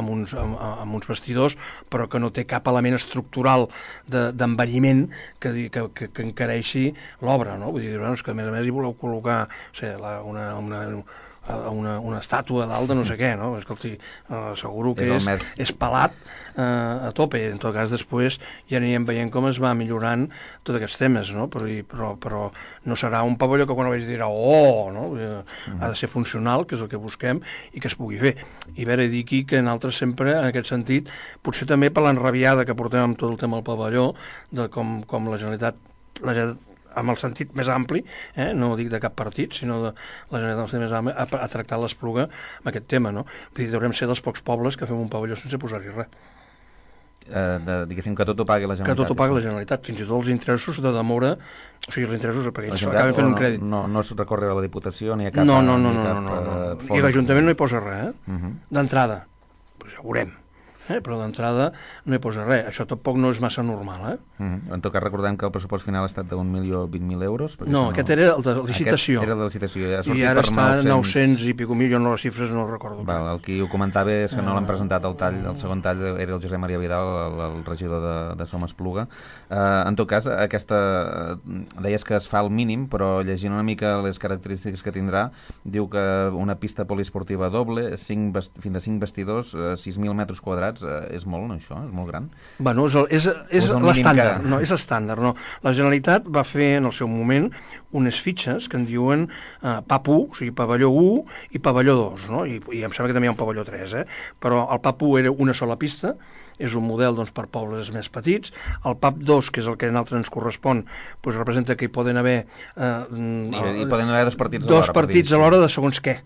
S3: uns vestidors, però que no té cap element estructural d'envelliment que encareixi l'obra, no? Vull dir, és que a més hi voleu col·locar una estàtua dalt de no sé què, no? Escolti, asseguro que és pelat a tope. En tot cas, després ja anirem veient com es va millorant tots aquests temes, no? Però no serà un pavelló que quan ho veig dirà no? Ha de ser funcional, que és el que busquem, i que es pugui fer. I a veure, dir aquí que nosaltres sempre, en aquest sentit, potser també per l'enrabiada que portem amb tot el tema del pavelló, de com la Generalitat amb el sentit més ampli, no dic de cap partit, sinó de la Generalitat més ampli, ha tractat l'Espluga amb aquest tema, no? Vull dir, deurem ser dels pocs pobles que fem un pavelló sense posar-hi res.
S2: Diguéssim que tot ho pagui la Generalitat.
S3: Que tot ho pagui la Generalitat, fins i tot els interessos de demora, o sigui, els interessos perquè ells acaben fent un crèdit.
S2: No es recorre a la Diputació ni a cap...
S3: No. I l'Ajuntament no hi posa res, d'entrada. Pues ja ho veurem. Però d'entrada no hi posa res. Això tampoc no és massa normal.
S2: En tot cas, recordem que el pressupost final ha estat de 1.020.000 euros.
S3: No, aquest era el de licitació.
S2: Aquest era el de licitació.
S3: I ara està 900 i pico mil, jo no les xifres no recordo.
S2: El que ho comentava és que no l'han presentat al tall, el segon tall era el Josep Maria Vidal, el regidor de Som Espluga. En tot cas, deies que es fa el mínim, però llegint una mica les característiques que tindrà, diu que una pista poliesportiva doble, fins a 5 vestidors, 6.000 metres quadrats, és molt, no, això? És molt gran?
S3: Bueno, és l'estàndard. No, és estàndard, no. La Generalitat va fer en el seu moment unes fitxes que en diuen PAP 1, o sigui, pavelló 1 i pavelló 2, no? I em sembla que també hi ha un pavelló 3, però el PAP 1 era una sola pista, és un model doncs, per pobles més petits. El PAP 2, que és el que a nosaltres ens correspon, doncs, representa que hi poden haver...
S2: hi poden haver dos partits
S3: alhora. Dos partits alhora de segons què.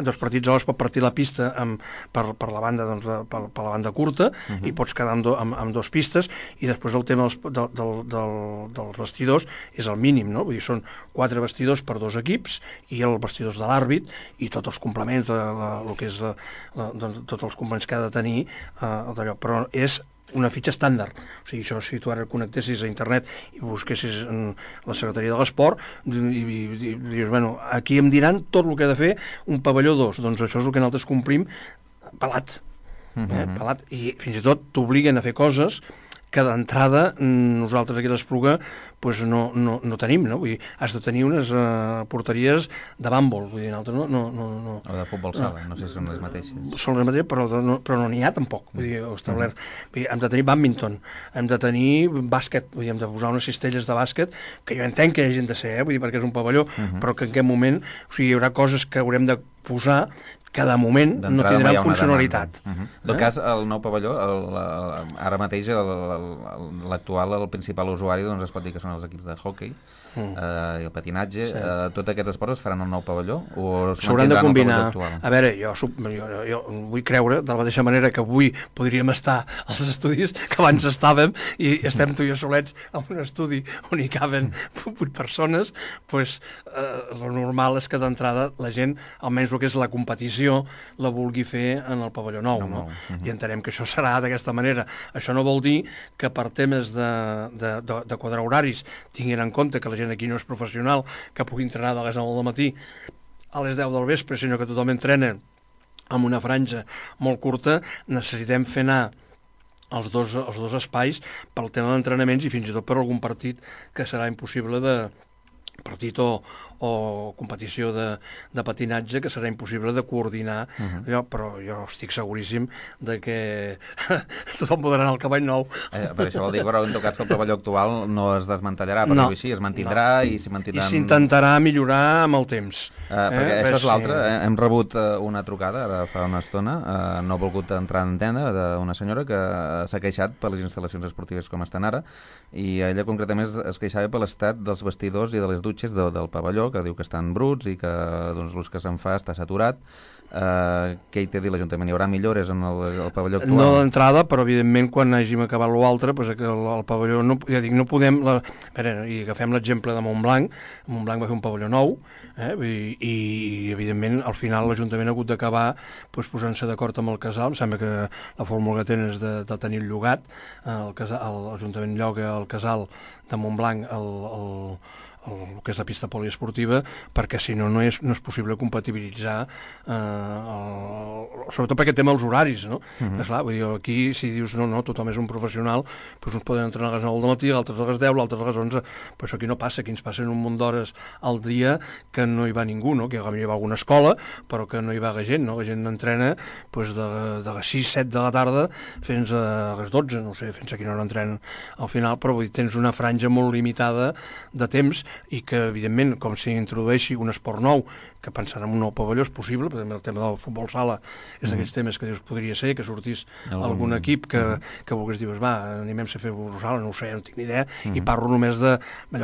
S3: Dos partits alhora es pot partir la pista per la banda, doncs, per la banda curta, i pots quedar amb dos pistes, i després el tema dels vestidors és el mínim, no? Vull dir, són 4 vestidors per 2 equips i els vestidors de l'àrbit i tots els complements, el que és tots els complements que ha de tenir d'allò, però és una fitxa estàndard. O sigui, això, si tu ara connectessis a internet i busquessis la Secretaria de l'Esport i dius, bueno, aquí em diran tot el que ha de fer un pavelló 2. Doncs això és el que nosaltres complim pelat. Pelat. I fins i tot t'obliguen a fer coses que d'entrada nosaltres aquí a l'Espluga pues no tenim, no? Vull dir, has de tenir unes porteries de bàmbol, vull dir, nosaltres no...
S2: O de futbol sala, no sé si són les mateixes.
S3: Són les mateixes, però no n'hi ha tampoc, vull dir, establert. Vull dir, hem de tenir bàdminton, hem de tenir bàsquet, vull dir, hem de posar unes cistelles de bàsquet, que jo entenc que hi hagin de ser, vull dir, perquè és un pavelló, però que en aquest moment, o sigui, hi haurà coses que haurem de posar que de moment no tindran funcionalitat.
S2: En tot cas, el nou pavelló, ara mateix l'actual, el principal usuari, doncs es pot dir que són els equips de hoquei i el patinatge. Tots aquests esports es faran al nou pavelló o
S3: s'hauran de combinar? A veure, jo vull creure, de la mateixa manera que avui podríem estar als estudis que abans estàvem i estem tu i jo solets en un estudi on hi caben 8 persones, doncs el normal és que d'entrada la gent, almenys el que és la competició, la vulgui fer en el pavelló nou, no? I entenem que això serà d'aquesta manera. Això no vol dir que per temes de quadrar horaris tinguin en compte que la gent aquí no és professional, que pugui entrenar de les 9 del matí a les 10 del vespre, sinó que tothom entrena amb una franja molt curta. Necessitem fer anar els dos espais pel tema d'entrenaments i fins i tot per algun partit que serà impossible partit o competició de patinatge que serà impossible de coordinar, però jo estic seguríssim de que tothom podrà anar al cavall nou.
S2: Per això vol dir, però en tot cas que el pavelló actual no es desmantellarà, per dir-ho així, es mantindrà i s'hi mantindran...
S3: I s'intentarà millorar amb el temps.
S2: Perquè això és l'altre, hem rebut una trucada ara fa una estona, no ha volgut entrar en antena, d'una senyora que s'ha queixat per les instal·lacions esportives com estan ara, i ella concretament es queixava per l'estat dels vestidors i de les dutxes del pavelló, que diu que estan bruts i que doncs, l'ús que se'n fa està saturat. Què hi té a dir l'Ajuntament? Hi haurà millores en el pavelló actual?
S3: No d'entrada, però evidentment quan hàgim acabat l'altre, pues, el pavelló, ja dic, no podem... I agafem l'exemple de Montblanc. Montblanc va fer un pavelló nou, i evidentment al final l'Ajuntament ha hagut d'acabar posant-se d'acord amb el casal. Em sembla que la fórmula que tenen és de tenir el llogat. L'Ajuntament lloga el casal de Montblanc el que és la pista poliesportiva, perquè si no és possible compatibilitzar, sobretot perquè té els horaris, no? Esclar, vull dir, aquí si dius no, tothom és un professional, doncs uns poden entrenar a les 9 del matí, altres a les 10, altres a les 11, però això aquí no passa, aquí ens passen un munt d'hores al dia que no hi va ningú, no? Que hi va alguna escola, però que no hi va gent, no? La gent entrena doncs, de les 6-7 de la tarda fins a les 12, no sé, fins a quina hora entrenen al final, però vull dir, tens una franja molt limitada de temps i que, evidentment, com si introdueixi un esport nou, que pensant en un nou pavelló és possible, perquè el tema del futbol sala és d'aquells temes que dius podria ser, que sortís algun equip que volgués dir, va, animem-se a fer futbol sala, no ho sé, no tinc ni idea, i parlo només de,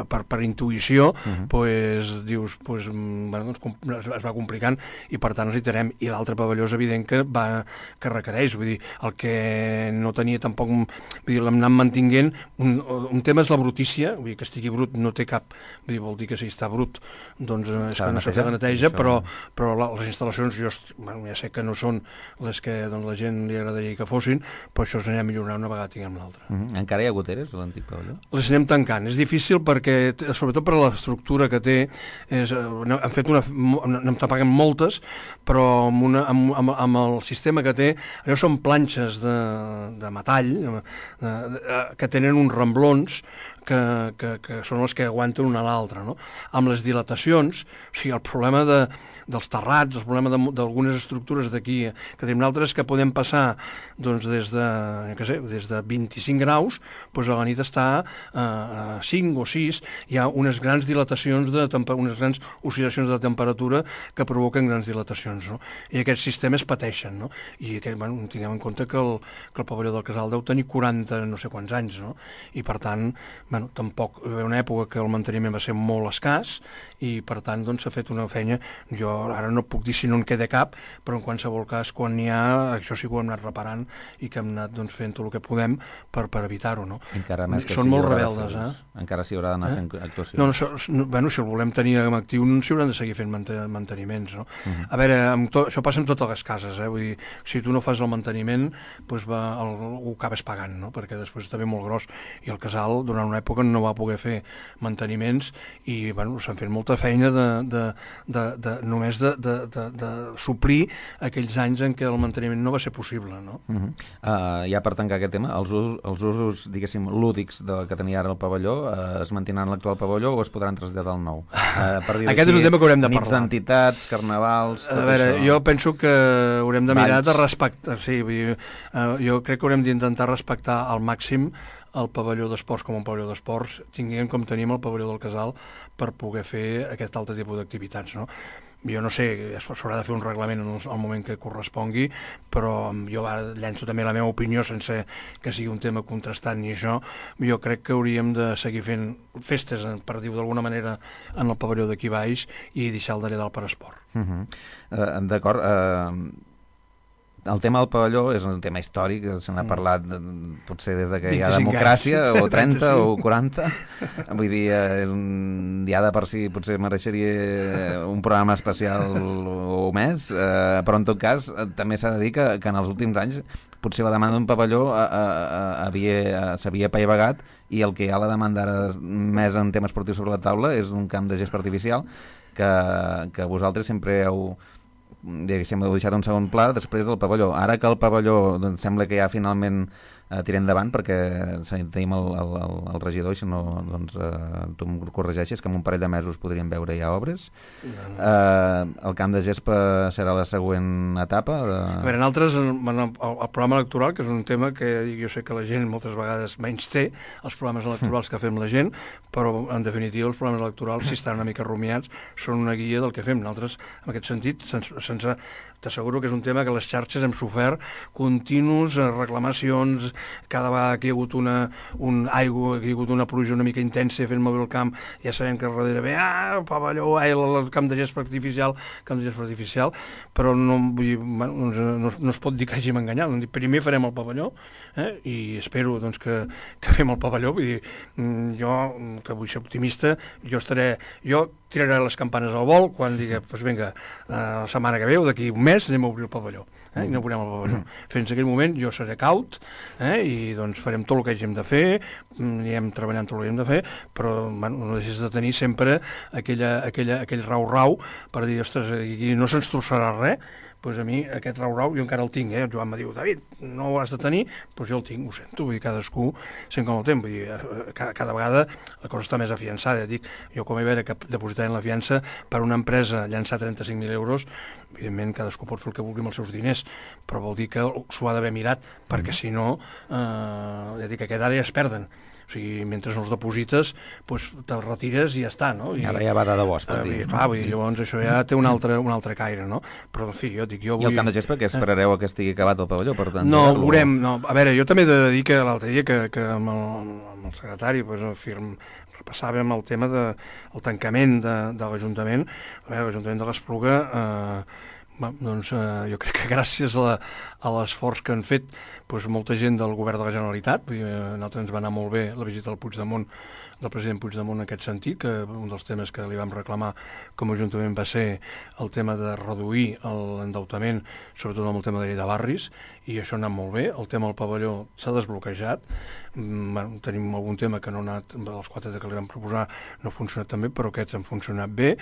S3: per intuïció, doncs dius, bueno, es va complicant i per tant necessitarem, i l'altre pavelló és evident que requereix, vull dir, el que no tenia tampoc, vull dir, l'hem anat mantinguent, un tema és la brutícia, vull dir, que estigui brut no té cap, vull dir, vol dir que si està brut, doncs és que no s'ha fet neteja, però les instal·lacions ja sé que no són les que la gent li agradaria que fossin, però això s'anirà a millorar una vegada tinguem l'altra.
S2: Encara hi ha goteres a l'antic pavelló? Les
S3: anem tancant. És difícil perquè, sobretot per l'estructura que té, n'hem tapat moltes, però amb el sistema que té, allò són planxes de metall que tenen uns remblons que són els que aguanten una a l'altra, no? Amb les dilatacions, o sigui, el problema dels terrats, el problema d'algunes estructures d'aquí, que tenim altres que podem passar doncs, des de 25 graus, doncs a la nit està a 5 o 6, hi ha unes grans dilatacions, unes grans oscil·lacions de temperatura que provoquen grans dilatacions, no? I aquests sistemes pateixen, no? I tinguem en compte que el pavelló del Casal deu tenir 40 no sé quants anys, no? I per tant, tampoc hi va una època que el manteniment va ser molt escàs i per tant s'ha fet una feina, jo ara no puc dir si no en queda cap, però en qualsevol cas quan n'hi ha, això sí que ho hem anat reparant i que hem anat fent tot el que podem per evitar-ho, no? Són molt rebeldes,
S2: encara s'hi haurà d'anar fent actuacions.
S3: Si el volem tenir actiu s'hi hauran de seguir fent manteniments, no? A veure, això passa en totes les cases, vull dir, si tu no fas el manteniment ho acabes pagant, no? Perquè després està molt gros i el Casal durant una època no va poder fer manteniments i s'han fet molta feina només de suplir aquells anys en què el manteniment no va ser possible, no?
S2: Ja per tancar aquest tema, els usos, diguéssim, lúdics que tenia ara el pavelló es mantindran en l'actual pavelló o es podran traslladar al nou?
S3: Aquest és un tema que haurem de parlar.
S2: Nits d'entitats, carnavals...
S3: A veure, jo penso que haurem de mirar de respectar... Sí, jo crec que haurem d'intentar respectar al màxim el pavelló d'esports com un pavelló d'esports, tinguem com tenim el pavelló del Casal per poder fer aquest altre tipus d'activitats, no? Jo no sé, s'haurà de fer un reglament en el moment que correspongui, però jo llenço també la meva opinió sense que sigui un tema contrastant ni això. Jo crec que hauríem de seguir fent festes, per dir-ho d'alguna manera, en el pavelló d'aquí baix i deixar el darrere del per esport.
S2: D'acord. El tema del pavelló és un tema històric, se n'ha parlat potser des que hi ha democràcia, o 30 o 40. Vull dir, ja de per si potser mereixeria un programa especial o més, però en tot cas també s'ha de dir que en els últims anys potser la demanda d'un pavelló s'havia apaivagat i el que hi ha la demanda ara més en tema esportiu sobre la taula és un camp de gespa artificial que vosaltres sempre heu deixat un segon pla després del pavelló. Ara que el pavelló sembla que ja finalment tirem endavant, perquè tenim el regidor, si no tu em corregeixes, que en un parell de mesos podríem veure ja obres. El camp de gespa serà la següent etapa?
S3: A veure, nosaltres, el programa electoral, que és un tema que jo sé que la gent moltes vegades menys té, els programes electorals que fem la gent, però en definitiva els programes electorals, si estan una mica rumiats, són una guia del que fem. Nosaltres, en aquest sentit, t'asseguro que és un tema que les xarxes hem sofert continus, reclamacions, cada vegada que hi ha hagut que hi ha hagut una pluja una mica intensa fent moure el camp, ja sabem que darrere ve el pavelló, el camp de gespa artificial, però no es pot dir que hàgim enganyat. Primer farem el pavelló i espero que fem el pavelló. Vull dir, jo, que vull ser optimista, jo tiraré les campanes al vol quan digui, vinga, la setmana que ve o d'aquí un mes anem a obrir el pavelló. Inaugurem el pavelló. Fins aquell moment jo seré caut i doncs farem tot el que hàgim de fer, anirem treballant tot el que hem de fer, però no deixes de tenir sempre aquell rau-rau per dir, ostres, aquí no se'ns trossarà res. Doncs a mi aquest rau-rau jo encara el tinc, el Joan me diu, David, no ho has de tenir, doncs jo el tinc, ho sento, vull dir, cadascú sent com el temps, vull dir, cada vegada la cosa està més afiançada, dic, jo com he veure que depositarem la fiança per una empresa llançar 35.000 euros, evidentment cadascú pot fer el que vulgui amb els seus diners, però vol dir que s'ho ha d'haver mirat, perquè si no, ja dic, aquest ara ja es perden. O sigui, mentre no els deposites, doncs te retires i ja està, no?
S2: Ara ja va de debò, es pot dir.
S3: Clar, llavors això ja té un altre caire, no? Però, en fi, jo dic, jo vull...
S2: I el camp de gespa, que esperareu que estigui acabat el pavelló?
S3: No, veurem, no. A veure, jo també he de dir que l'altre dia que amb el secretari repassàvem el tema del tancament de l'Ajuntament. A veure, l'Ajuntament de l'Espluga... doncs jo crec que gràcies a l'esforç que han fet molta gent del govern de la Generalitat, a nosaltres ens va anar molt bé la visita al Puigdemont, del president Puigdemont en aquest sentit, que un dels temes que li vam reclamar com a Ajuntament va ser el tema de reduir l'endeutament, sobretot amb el tema de llei de barris, i això ha anat molt bé. El tema del pavelló s'ha desbloquejat, tenim algun tema que no ha anat, els 4 que li vam proposar no ha funcionat tan bé, però aquests han funcionat bé,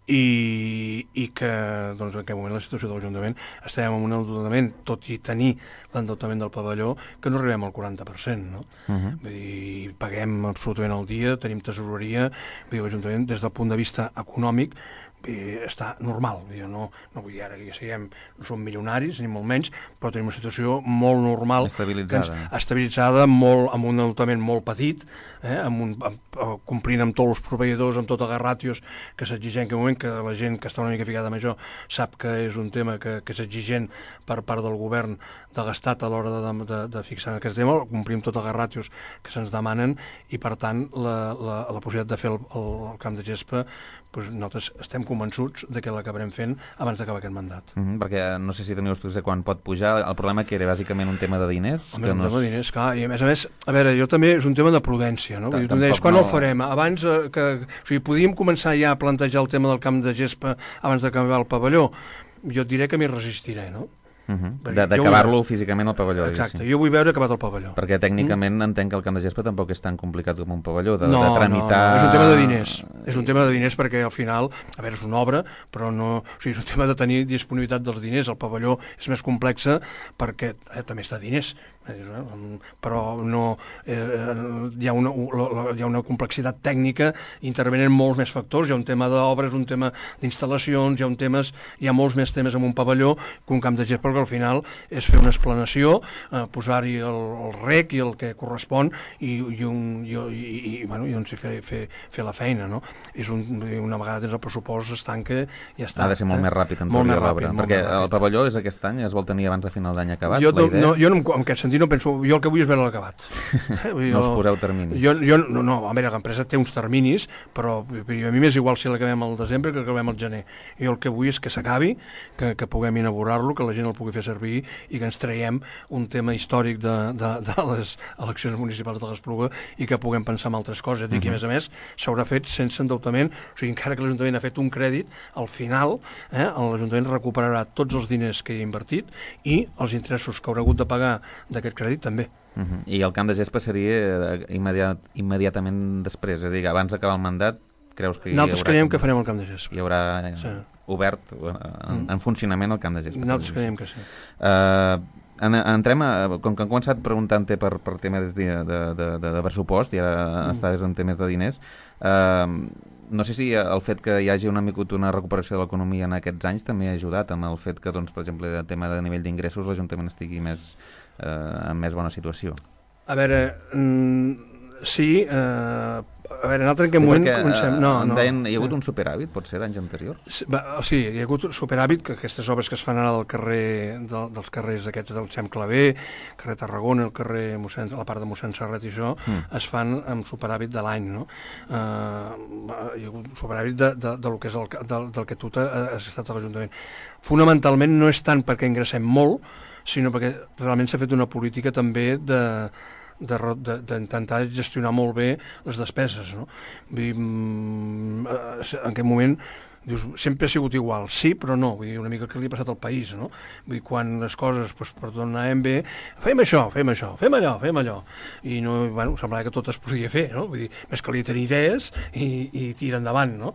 S3: i que doncs, en aquest moment la situació de l'Ajuntament estem en un endeutament, tot i tenir l'endeutament del pavelló, que no arribem al 40%, no? Vull dir, paguem absolutament al dia, tenim tesoreria, vull dir, l'Ajuntament des del punt de vista econòmic està normal, no vull dir ara que siguem, no som milionaris ni molt menys, però tenim una situació molt normal, estabilitzada, amb un endeutament molt petit, complint amb tots els proveïdors, amb totes les ràtios que s'exigeixen en aquest moment, que la gent que està una mica ficada amb això sap que és un tema que és exigent per part del govern de l'Estat a l'hora de fixar aquest tema, complim totes les ràtios que se'ns demanen, i per tant la possibilitat de fer el camp de gespa, nosaltres estem convençuts que l'acabarem fent abans d'acabar aquest mandat.
S2: Perquè no sé si teniu estudis de quan pot pujar. El problema que era bàsicament un tema de diners?
S3: Un tema de diners, clar. I a més, a veure, jo també és un tema de prudència, no? Vull dir, tu em deies, quan el farem? Abans que... O sigui, podíem començar ja a plantejar el tema del camp de gespa abans d'acabar el pavelló? Jo et diré que m'hi resistiré, no?
S2: D'acabar-lo físicament al pavelló.
S3: Exacte, jo vull veure acabat el pavelló.
S2: Perquè tècnicament entenc que el camp de gespa tampoc és tan complicat com un pavelló, de tramitar...
S3: No, és un tema de diners. És un tema de diners perquè al final, a veure, és una obra, però no... O sigui, és un tema de tenir disponibilitat dels diners. El pavelló és més complexa perquè també està diners, però no hi ha una complexitat tècnica, intervenen molts més factors, hi ha un tema d'obres, un tema d'instal·lacions, hi ha molts més temes en un pavelló que un camp de gespa, perquè al final és fer una explanació, posar-hi el rec i el que correspon i fer la feina, no? Una vegada tens el pressupost es tanca i ja està.
S2: Ha de ser molt més ràpid en teoria l'obra, perquè el pavelló és aquest any, es vol tenir abans de final d'any acabat,
S3: la idea? Jo en aquest sentit no penso, jo el que vull és veure l'acabat.
S2: No us poseu terminis?
S3: No, a veure, l'empresa té uns terminis, però a mi m'és igual si l'acabem al desembre que l'acabem al gener. Jo el que vull és que s'acabi, que puguem inaugurar-lo, que la gent el pugui fer servir i que ens traiem un tema històric de les eleccions municipals de l'Espluga i que puguem pensar en altres coses. Dic que, a més, s'haurà fet sense endeutament, o sigui, encara que l'Ajuntament ha fet un crèdit, al final l'Ajuntament recuperarà tots els diners que hi ha invertit i els interessos que haurà hagut de pagar d'aquest crèdit també.
S2: I el camp de gespa seria immediatament després, és a dir, abans d'acabar el mandat, creus que hi haurà...
S3: Nosaltres creiem que farem el camp de gespa.
S2: Hi haurà obert en funcionament el camp de gespa.
S3: Nosaltres creiem que sí.
S2: Entrem, com que han començat preguntant-te per temes de pressupost i ara estaves en temes de diners, no sé si el fet que hi hagi una recuperació de l'economia en aquests anys també ha ajudat amb el fet que, doncs, per exemple, el tema de nivell d'ingressos l'Ajuntament estigui en més bona situació.
S3: A veure, sí, a veure, en aquest moment comencem...
S2: Deien, hi ha hagut un superàvit, pot ser, d'anys anteriors?
S3: Sí, hi ha hagut un superàvit, que aquestes obres que es fan ara dels carrers aquests del Xem Claver, carrer Tarragona, la part de mossèn Serret i això, es fan amb superàvit de l'any, no? Hi ha hagut un superàvit del que és del que tu has estat a l'Ajuntament. Fonamentalment no és tant perquè ingressem molt, sinó perquè realment s'ha fet una política també d'intentar gestionar molt bé les despeses, no? En aquest moment dius, sempre ha sigut igual, sí però no, vull dir, una mica el que li ha passat al país, no? Vull dir, quan les coses, doncs, per tot anaven bé, fem això, fem allò, i no, bueno, semblava que tot es podia fer, no? Vull dir, més calia tenir idees i tirar endavant, no?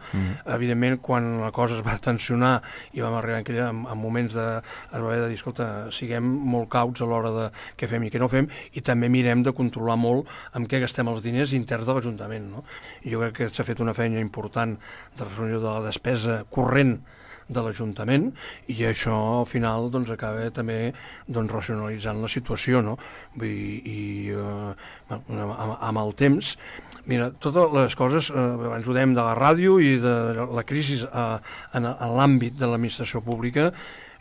S3: Evidentment, quan la cosa es va tensionar i vam arribar en moments es va haver de dir, escolta, siguem molt cauts a l'hora de què fem i què no fem, i també mirem de controlar molt amb què gastem els diners interns de l'Ajuntament, no? I jo crec que s'ha fet una feina important de resolució de la despesa corrent de l'Ajuntament, i això al final doncs, acaba també doncs, racionalitzant la situació, no? Amb el temps, mira, totes les coses, abans ho dèiem de la ràdio i de la crisi en l'àmbit de l'administració pública,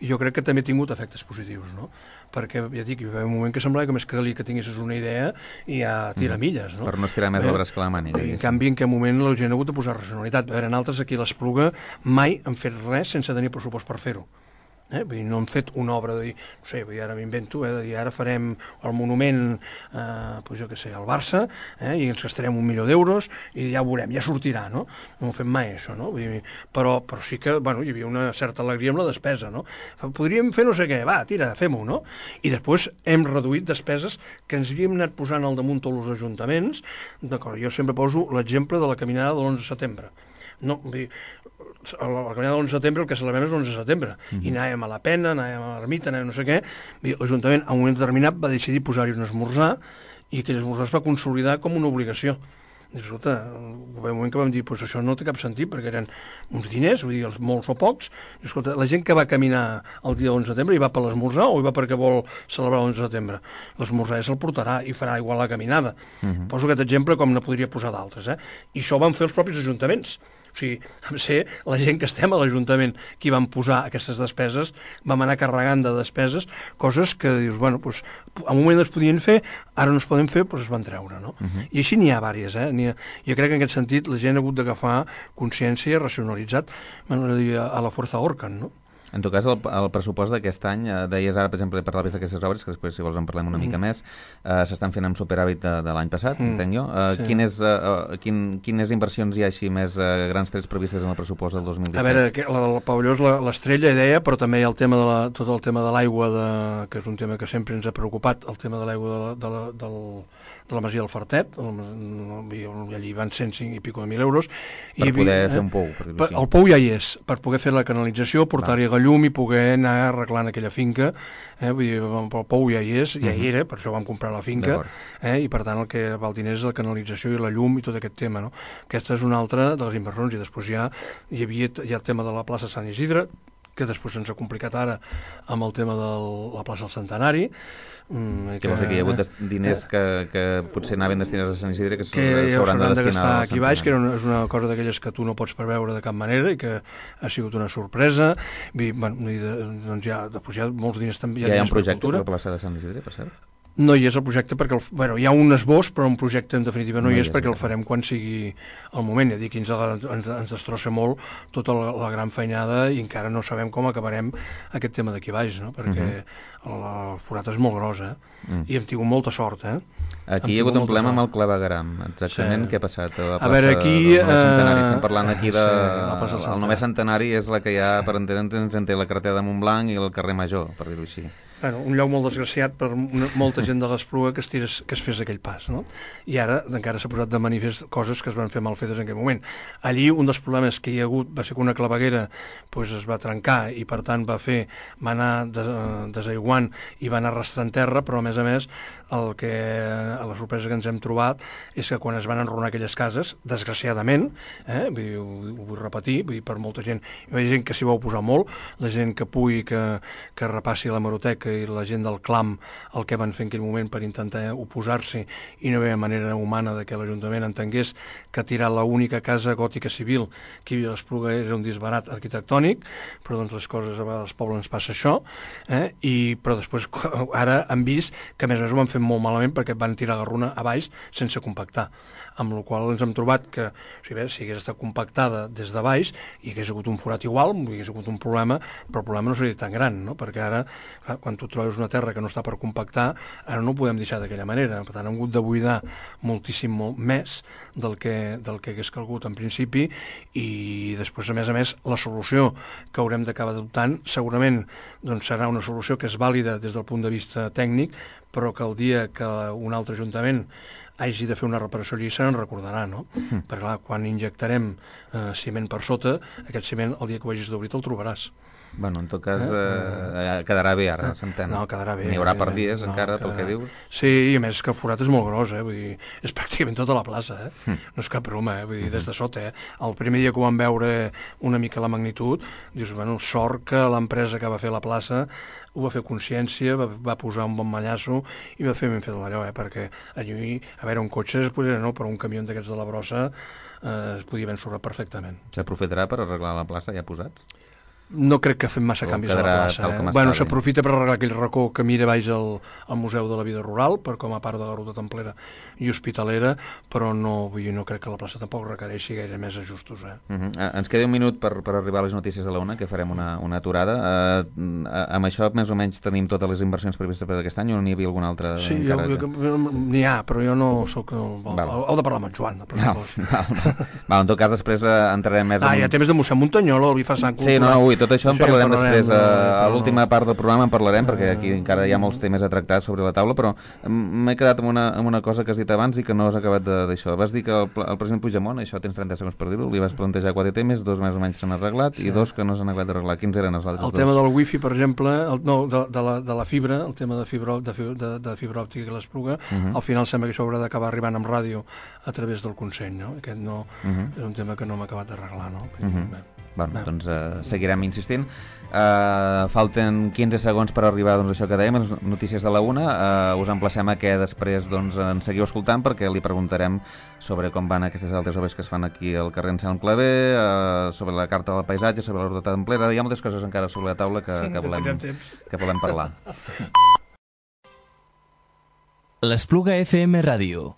S3: jo crec que també ha tingut efectes positius, no? Perquè, ja dic, hi va haver un moment que semblava que més calia que tinguessis una idea i ja tira milles, no?
S2: Per no estirar més el braç que la màniga.
S3: En canvi, en aquest moment la gent ha hagut de posar racionalitat. A veure, en altres aquí a l'Espluga mai han fet res sense tenir pressupost per fer-ho. Vull dir, no han fet una obra de dir, no sé, ara m'invento, de dir, ara farem el monument, doncs jo què sé, al Barça, i ens gastarem 1 milió d'euros i ja ho veurem, ja sortirà, no? No ho fem mai, això, no? Vull dir, però sí que, bueno, hi havia una certa alegria amb la despesa, no? Podríem fer no sé què, va, tira, fem-ho, no? I després hem reduït despeses que ens havíem anat posant al damunt tots els ajuntaments, d'acord, jo sempre poso l'exemple de la caminada de l'11 de setembre. No, vull dir, la caminada de l'11 de setembre el que celebrem és l'11 de setembre, i anàvem a la Pena, anàvem a l'Ermita, anàvem no sé què, l'Ajuntament a un moment determinat va decidir posar-hi un esmorzar, i aquell esmorzar es va consolidar com una obligació. I escolta, va haver un moment que vam dir, pues això no té cap sentit, perquè eren uns diners, vull dir, molts o pocs, i escolta, la gent que va caminar el dia 11 de setembre hi va per l'esmorzar o hi va perquè vol celebrar l'11 de setembre? L'esmorzar ja se'l portarà i farà igual la caminada. Poso aquest exemple com ne podria posar d'altres, i això ho van fer els propis ajuntaments. O sigui, vam ser la gent que estem a l'Ajuntament qui van posar aquestes despeses, vam anar carregant de despeses, coses que dius, bueno, doncs, a un moment es podien fer, ara no es poden fer, doncs es van treure, no? I així n'hi ha diverses, jo crec que en aquest sentit la gent ha hagut d'agafar consciència i racionalitzat, a la Fuerza Orcan, no?
S2: En tot cas, el pressupost d'aquest any, deies ara, per exemple, parlaves d'aquestes obres, que després, si vols, en parlem una mica més, s'estan fent amb superàvit de l'any passat, entenc jo. Quines inversions hi ha així més grans trets previstes en el pressupost del 2017?
S3: A veure, el pavelló és l'estrella, deia, però també hi ha el tema tot el tema de l'aigua, que és un tema que sempre ens ha preocupat, el tema de l'aigua de la Masia del Fartet, allí van 105 i pico de 1.000 euros.
S2: Per poder fer un pou, per dir-ho així.
S3: El pou ja hi és, per poder fer la canalització, portar-hi la llum i poder anar arreglant aquella finca. Vull dir, el pou ja hi és, ja hi era, per això vam comprar la finca, i per tant el que val diners és la canalització i la llum i tot aquest tema, no? Aquesta és una altra de les inversions, i després hi ha el tema de la plaça Sant Isidre, que després ens ha complicat ara amb el tema de la plaça del Centenari.
S2: Que vol fer que hi ha hagut diners que potser anaven destinats a Sant Isidre que
S3: s'hauran de gastar aquí baix, que és una cosa d'aquelles que tu no pots preveure de cap manera i que ha sigut una sorpresa. Doncs hi ha molts diners també.
S2: Hi ha un projecte per la plaça de Sant Isidre, per cert?
S3: No hi és el projecte perquè, hi ha un esbós, però un projecte en definitiva no hi és perquè el farem quan sigui el moment. Ja dic, ens destrossa molt tota la gran feinada i encara no sabem com acabarem aquest tema d'aquí baix, no? Perquè el forat és molt gros, i hem tingut molta sort,
S2: Aquí hi ha hagut un problema amb el clavegueram. Exactament què ha passat?
S3: A veure, aquí...
S2: Estem parlant aquí el només centenari és la que hi ha, per entendre'ns, entre la carretera de Montblanc i el carrer Major, per dir-ho així.
S3: Un lloc molt desgraciat per molta gent de l'Espluga que es fes aquell pas, no? I ara encara s'ha posat de manifest coses que es van fer mal fetes en aquell moment. Allí un dels problemes que hi ha hagut va ser que una claveguera es va trencar i per tant va anar desaiguant i va anar arrastrant terra, però a més la sorpresa que ens hem trobat és que quan es van enrunar aquelles cases, desgraciadament, ho vull repetir, per molta gent, hi ha gent que s'hi va oposar molt, la gent que pugui que repassi la hemeroteca i la gent del clam el que van fer en aquell moment per intentar oposar-s'hi i no hi havia manera humana de que l'Ajuntament entengués que tirar l'única casa gòtica civil que hi havia a l'Espluga era un disbarat arquitectònic, però doncs les coses a vegades al poble ens passa això, però després ara han vist que a més ho van fer molt malament perquè van tirar la runa a baix sense compactar. amb la qual ens hem trobat que si hagués estat compactada des de baix i hagués hagut un forat igual, hagués hagut un problema, però el problema no seria tan gran, no? Perquè ara, clar, quan tu trobes una terra que no està per compactar, ara no ho podem deixar d'aquella manera, per tant hem hagut de buidar moltíssim molt més del que hagués calgut en principi, i després, a més, la solució que haurem d'acabar adoptant segurament doncs, serà una solució que és vàlida des del punt de vista tècnic, però que el dia que un altre ajuntament hagi de fer una reparació allí se'n recordarà, no? Perquè clar, quan injectarem ciment per sota, aquest ciment el dia que ho hagis d'obrir te'l trobaràs.
S2: Bueno, en tot cas, quedarà bé ara, s'entén.
S3: No, quedarà bé.
S2: N'hi haurà per dies, encara, pel que dius.
S3: Sí, i a més que el forat és molt gros, vull dir, és pràcticament tota la plaça, No és cap broma, vull dir, des de sota, El primer dia que ho vam veure una mica la magnitud, dius, bueno, sort que l'empresa que va fer la plaça ho va fer consciència, va posar un bon mallasso i va fer ben fet allò, perquè allí, a veure, un cotxe es posarà, no, però un camió d'aquests de la brossa es podia ben sorrar perfectament.
S2: S'aprofitarà per arreglar la plaça ja posats?
S3: No crec que fem massa canvis a la plaça. Bueno, s'aprofita per arreglar aquell racó que mira baix al Museu de la Vida Rural, per com a part de la ruta templera i hospitalera, però no crec que la plaça tampoc requereixi gaire més ajustos.
S2: Ens queda un minut per arribar a les notícies de la una, que farem una aturada. Amb això, més o menys, tenim totes les inversions previstes per aquest any, o n'hi havia alguna altra?
S3: Sí, n'hi ha, però jo no soc... Heu de parlar amb en Joan.
S2: En tot cas, després entrarem més...
S3: Hi ha temes de mossèn Montanyol, el Bifasant Cultural...
S2: Sí, no, tot això en parlarem després. A l'última part del programa en parlarem, perquè aquí encara hi ha molts temes a tractar sobre la taula, però m'he quedat amb una cosa que has dit abans i que no has acabat d'això. Vas dir que el president Puigdemont, això tens 30 segons per dir-ho, li vas plantejar 4 temes, 2 més o menys s'han arreglat i 2 que no s'han acabat d'arreglar. Quins eren els altres?
S3: El tema del wifi, per exemple, de la fibra, el tema de fibra òptica que l'Espluga, al final sembla que això haurà d'acabar arribant amb ràdio a través del Consell, no? Aquest no és un tema que no m'ha acabat d'arreglar, no?
S2: Bueno, doncs seguirem insistint. Falten 15 segons per arribar a això que dèiem, les notícies de la una. Us emplacem a que després ens seguiu escoltant, perquè li preguntarem sobre com van aquestes altres obres que es fan aquí al carrer Anselm Clavé, sobre la carta del paisatge, sobre la ruta templera. Hi ha moltes coses encara sobre la taula que volem parlar.
S6: L'Espluga FM Ràdio.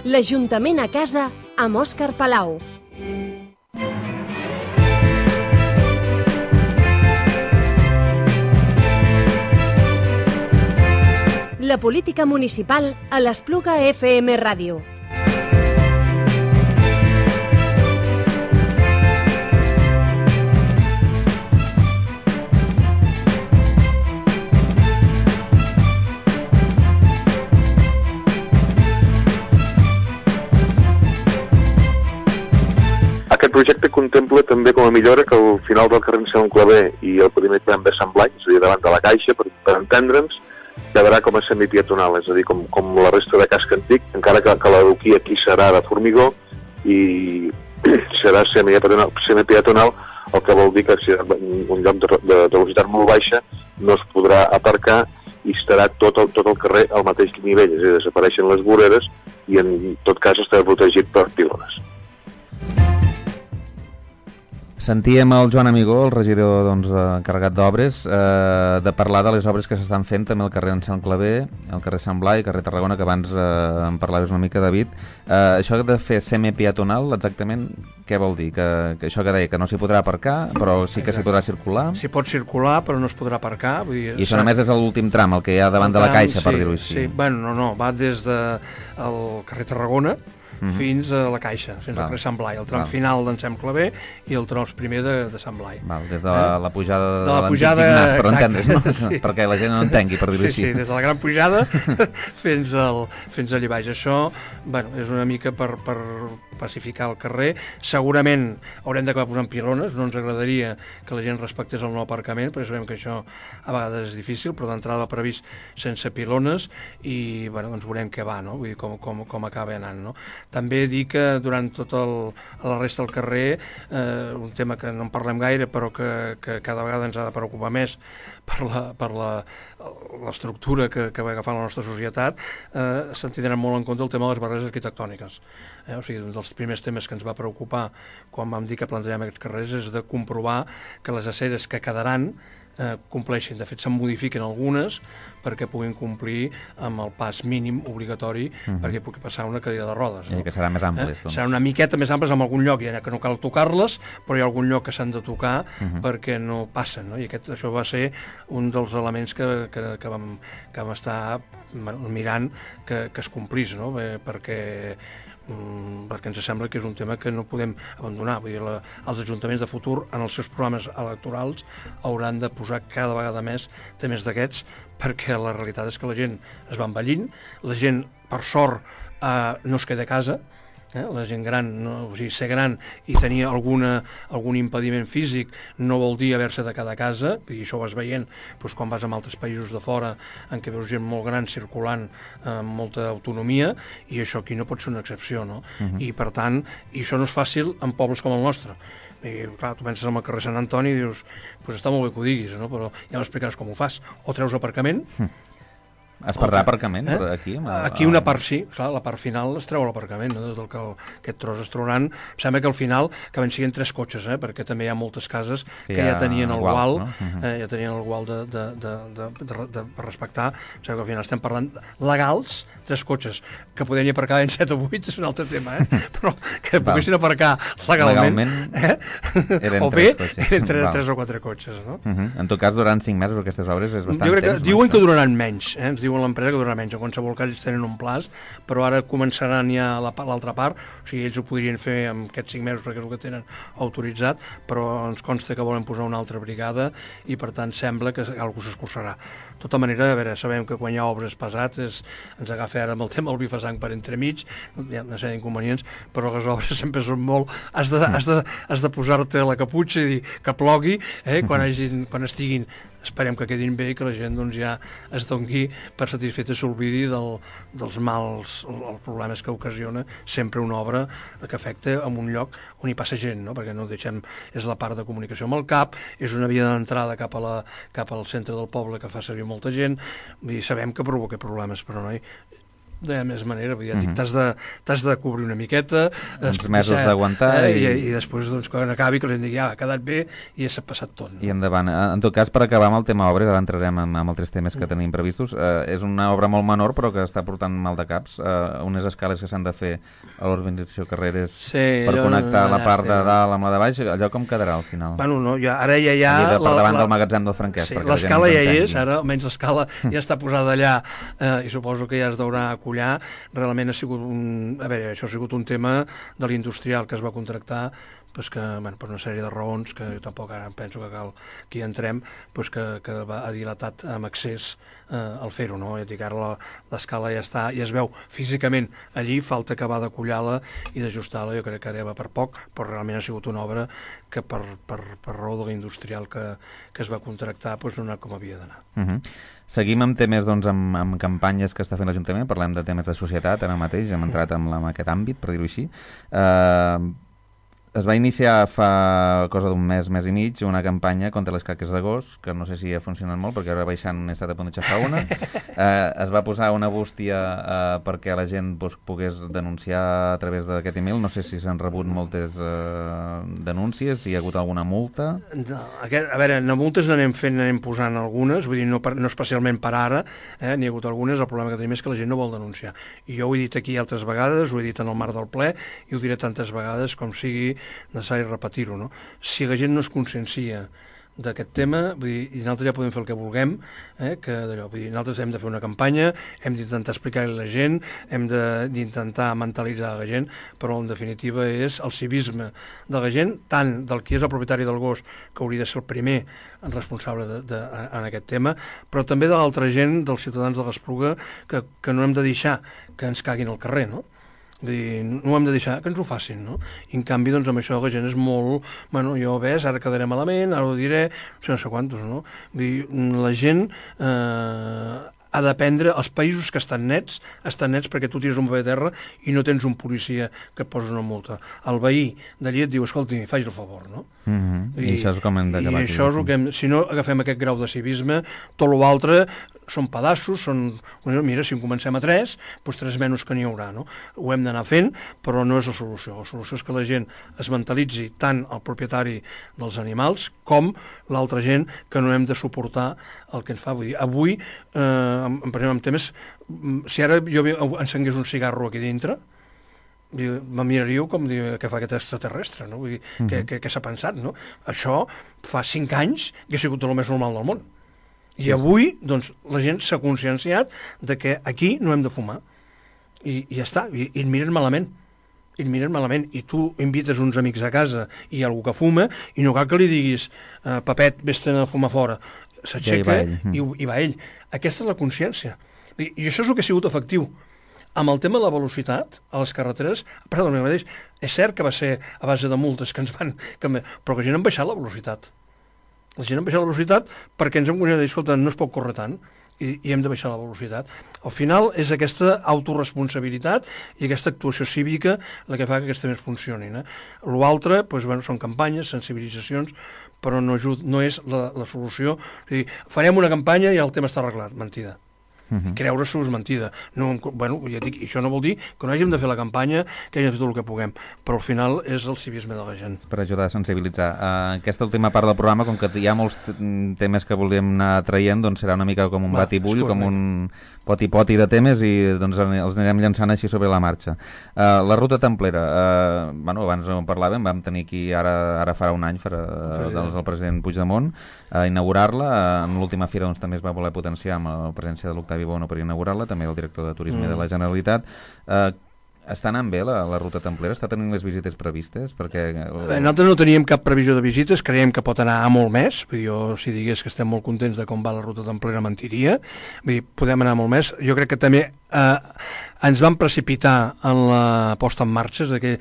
S1: L'Ajuntament a casa amb Òscar Palau. La política municipal a l'Espluga FM Ràdio.
S9: Aquest projecte contempla també com a millora que al final del carrer Anselm Clavé i el primer tram de Sant Blai, és a dir, davant de la Caixa, per entendre'ns, quedarà com a semipeatonal, és a dir, com la resta de casc antic, encara que l'adoquí aquí serà de formigó i serà semipeatonal, el que vol dir que si un lloc de velocitat molt baixa no es podrà aparcar i estarà tot el carrer al mateix nivell, és a dir, desapareixen les voreres i en tot cas estarà protegit per pilones.
S2: Sentíem el Joan Amigó, el regidor encarregat d'obres, de parlar de les obres que s'estan fent també al carrer Anselm Clavé, al carrer Sant Blai, carrer Tarragona, que abans en parlaves una mica, David. Això de fer semipeatonal, exactament, què vol dir? Que això que deia, que no s'hi podrà aparcar, però sí que s'hi podrà circular?
S3: S'hi pot circular, però no es podrà aparcar. Vull dir,
S2: I això només és l'últim tram, el que hi ha davant de la Caixa, per dir-ho així.
S3: Sí, bueno, no, va des del carrer Tarragona fins a la Caixa, fins al carrer Sant Blai, el tram final d'Anselm Clavé i el tros primer de Sant Blai.
S2: Des de la pujada de l'antic gimnàs, per entendre's, no? Sí. Perquè la gent no entengui, per dir-ho així.
S3: Sí, des de la gran pujada fins allà baix. Això, bueno, és una mica per pacificar el carrer. Segurament haurem d'acabar posant pilones, no ens agradaria que la gent respectés el nou aparcament, perquè sabem que això a vegades és difícil, però d'entrada va previst sense pilones i, bueno, doncs veurem què va, no? Vull dir, com acaba anant, no? També dir que durant tota la resta del carrer, un tema que no en parlem gaire, però que cada vegada ens ha de preocupar més per l'estructura que va agafar la nostra societat, se'n tindrà molt en compte el tema de les barreres arquitectòniques. O sigui, un dels primers temes que ens va preocupar quan vam dir que plantejarem aquests carrers és de comprovar que les aceres que quedaran compleixin. De fet, se'n modifiquen algunes perquè puguin complir amb el pas mínim obligatori perquè pugui passar una cadira de rodes.
S2: I que seran més amples. Doncs.
S3: Seran una miqueta més amples en algun lloc, ja que no cal tocar-les, però hi ha algun lloc que s'han de tocar perquè no passen, no? I això va ser un dels elements que vam estar mirant que es complís, no? perquè ens sembla que és un tema que no podem abandonar. Vull dir, els ajuntaments de futur en els seus programes electorals hauran de posar cada vegada més temes d'aquests, perquè la realitat és que la gent es va envellint, la gent, per sort, no es queda a casa, la gent gran, o sigui, ser gran i tenir algun impediment físic no vol dir haver-se de quedar a casa, i això ho vas veient doncs, quan vas a altres països de fora en què veus gent molt gran circulant amb molta autonomia, i això aquí no pot ser una excepció, no? I per tant, i això no és fàcil en pobles com el nostre. I clar, tu penses en el carrer Sant Antoni i dius, pues està molt bé que ho diguis, no? Però ja m'explicaràs com ho fas. O treus aparcament.
S2: Es perdrà aparcament aquí?
S3: Aquí una part sí, clar, la part final es treu l'aparcament, no? Des del que aquest tros es trauran. Em sembla que al final acaben siguent 3 cotxes, perquè també hi ha moltes cases que ja tenien el gual, ja tenien el gual de respectar. Em sembla que al final estem parlant legals, 3 cotxes, que podien aparcar en 7 o 8 és un altre tema, però que poguessin aparcar legalment o bé eren 3 o 4 cotxes, no?
S2: En tot cas, durant 5 mesos aquestes obres és bastant temps.
S3: Jo crec que diuen que duraran menys, ens diuen l'empresa que durarà menys, en qualsevol cas ells tenen un plaç, però ara començaran ja l'altra part, o sigui, ells ho podrien fer en aquests 5 mesos perquè és el que tenen autoritzat, però ens consta que volen posar una altra brigada i per tant sembla que algú s'escurçarà. De tota manera, a veure, sabem que quan hi ha obres pesades ens agafa ara amb el tema del bifasang per entremig, hi ha una sèrie d'inconvenients, però les obres sempre són molt... Has de posar-te la caputxa i dir que plogui, quan estiguin, esperem que quedin bé i que la gent doncs, ja es doni per satisfeta i s'oblidi dels mals, els problemes que ocasiona sempre una obra que afecta en un lloc on hi passa gent, no? Perquè no deixem, és la part de comunicació amb el CAP, és una via d'entrada cap al centre del poble que fa servir molta gent, i sabem que provoca problemes, però no de més manera, ja dic, t'has de cobrir una miqueta,
S2: uns mesos d'aguantar
S3: i després doncs, quan acabi que la gent digui, ha quedat bé i ja s'ha passat tot, no?
S2: I endavant. En tot cas, per acabar amb el tema obres, ara entrarem amb altres temes que tenim previstos, és una obra molt menor però que està portant mal de caps, unes escales que s'han de fer a l'urbanització Carreres per connectar la part de dalt amb la de baix, allò com quedarà al final?
S3: Bueno, no, ara ja hi ha...
S2: Per davant del magatzem del Franquès.
S3: Sí, l'escala ja hi és, ara almenys l'escala ja està posada allà i suposo que ja es deurà acollar. Realment ha sigut això ha sigut un tema de l'industrial que es va contractar pues que, per una sèrie de raons que jo tampoc ara penso que cal que hi entrem, pues que ha dilatat amb excés el fer-ho, no? Ja dic, ara l'escala ja està, ja es veu físicament allí, falta acabar d'acollar-la i d'ajustar-la, jo crec que ara va per poc, però realment ha sigut una obra que per raó de l'industrial que es va contractar pues no ha anat com havia d'anar.
S2: Seguim amb temes, doncs, amb campanyes que està fent l'Ajuntament, parlem de temes de societat, ara mateix hem entrat en aquest àmbit, per dir-ho així. Es va iniciar fa cosa d'un mes i mig, una campanya contra les caques de gos, que no sé si ha funcionat molt, perquè ara baixant he estat a punt de xafar una. Es va posar una bústia perquè la gent pogués denunciar a través d'aquest email. No sé si s'han rebut moltes denúncies, si hi ha hagut alguna multa.
S3: A veure, de multes n'anem posant algunes, vull dir, no especialment per ara, n'hi ha hagut algunes, el problema que tenim és que la gent no vol denunciar. I jo ho he dit aquí altres vegades, ho he dit en el marc del ple, i ho diré tantes vegades com sigui necessari repetir-ho, no? Si la gent no es consciencia d'aquest tema, vull dir, i nosaltres ja podem fer el que vulguem, que d'allò, vull dir, nosaltres hem de fer una campanya, hem d'intentar explicar-li a la gent, hem d'intentar mentalitzar la gent, però en definitiva és el civisme de la gent, tant del qui és el propietari del gos, que hauria de ser el primer responsable en aquest tema, però també de l'altra gent, dels ciutadans de l'Espluga, que no hem de deixar que ens caguin al carrer, no? Vull dir, no ho hem de deixar que ens ho facin, no? I en canvi, doncs, amb això la gent és molt... Bueno, jo ves, ara quedaré malament, ara ho diré, no sé quantos, no? Vull dir, la gent ha d'aprendre, els països que estan nets perquè tu tires un paper a terra i no tens un policia que et posa una multa. El veí d'allí et diu, escolti, faci el favor, no?
S2: I això és com hem d'acabar.
S3: I això és el que si no agafem aquest grau de civisme, tot l'altre són pedaços, mira, si en comencem a 3, doncs 3 menys que n'hi haurà, no? Ho hem d'anar fent, però no és la solució. La solució és que la gent es mentalitzi, tant el propietari dels animals com l'altra gent, que no hem de suportar el que ens fa. Vull dir, avui, per exemple, en temes, si ara jo encengués un cigarro aquí dintre, me miraríeu com dir què fa aquest extraterrestre, no? Vull dir, què s'ha pensat, no? Això fa 5 anys que ha sigut el més normal del món. I avui, doncs, la gent s'ha conscienciat de que aquí no hem de fumar. I ja està, i et miren malament. I tu invites uns amics a casa i hi ha algú que fuma, i no cal que li diguis Pepet, vés-te'n a fumar fora. S'aixeca i va ell. Aquesta és la consciència. I això és el que ha sigut efectiu. Amb el tema de la velocitat a les carreteres, perdó, és cert que va ser a base de multes que ens van... però que la gent han baixat la velocitat. La gent han baixat la velocitat perquè ens hem considerat de dir, escolta, no es pot córrer tant i hem de baixar la velocitat. Al final és aquesta autoresponsabilitat i aquesta actuació cívica la que fa que aquests temes funcionin. L'altre, són campanyes, sensibilitzacions, però no és la solució. És a dir, farem una campanya i el tema està arreglat. Mentida. Creure-s'ho és mentida. Ja dic, això no vol dir que no hàgim de fer la campanya, que hàgim de fer tot el que puguem, però al final és el civisme de la gent.
S2: Per ajudar a sensibilitzar. Aquesta última part del programa, com que hi ha molts temes que volíem anar traient, doncs serà una mica com un batibull, com un poti-poti de temes, i doncs els anirem llançant així sobre la marxa. La ruta templera, abans en parlàvem, vam tenir aquí ara farà un any el president Puigdemont a inaugurar-la. En l'última fira doncs, també es va voler potenciar amb la presència de l'Octavi Bono per inaugurar-la, també el director de Turisme de la Generalitat. Està anant bé la ruta templera? Està tenint les visites previstes?
S3: Nosaltres no teníem cap previsió de visites, creiem que pot anar a molt més. Jo, si digués que estem molt contents de com va la ruta templera, mentiria. Vull dir, podem anar molt més. Jo crec que també ens vam precipitar en la posta en marxa, que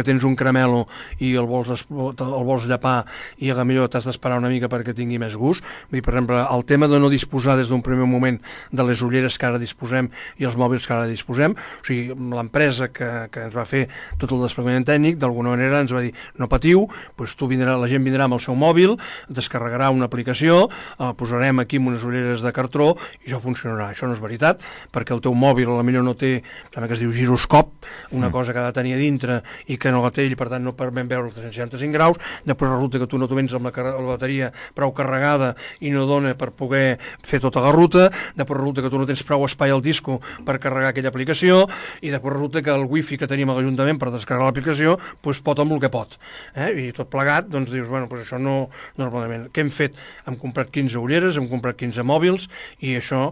S3: tens un caramelo i el vols llepar i a millor t'has d'esperar una mica perquè tingui més gust. Vull dir, per exemple, el tema de no disposar des d'un primer moment de les ulleres que ara disposem i els mòbils que ara disposem, o sigui, l'empresa que ens va fer tot el desplegament tècnic, d'alguna manera ens va dir, no patiu, doncs la gent vindrà amb el seu mòbil, descarregarà una aplicació, posarem aquí amb unes ulleres de cartró i això funcionarà. Això no és veritat, perquè el teu mòbil potser no té, també que es diu giroscop, una cosa que ha de tenir a dintre i que no la té i per tant no permet veure els 365 graus. Després resulta que tu no t'ho vens amb la bateria prou carregada i no dona per poder fer tota la ruta. Després resulta que tu no tens prou espai al disco per carregar aquella aplicació, i després resulta que el wifi que tenim a l'Ajuntament per descarregar l'aplicació pot amb el que pot. I tot plegat, doncs dius, això no és el planejament. Què hem fet? Hem comprat 15 ulleres, hem comprat 15 mòbils, i això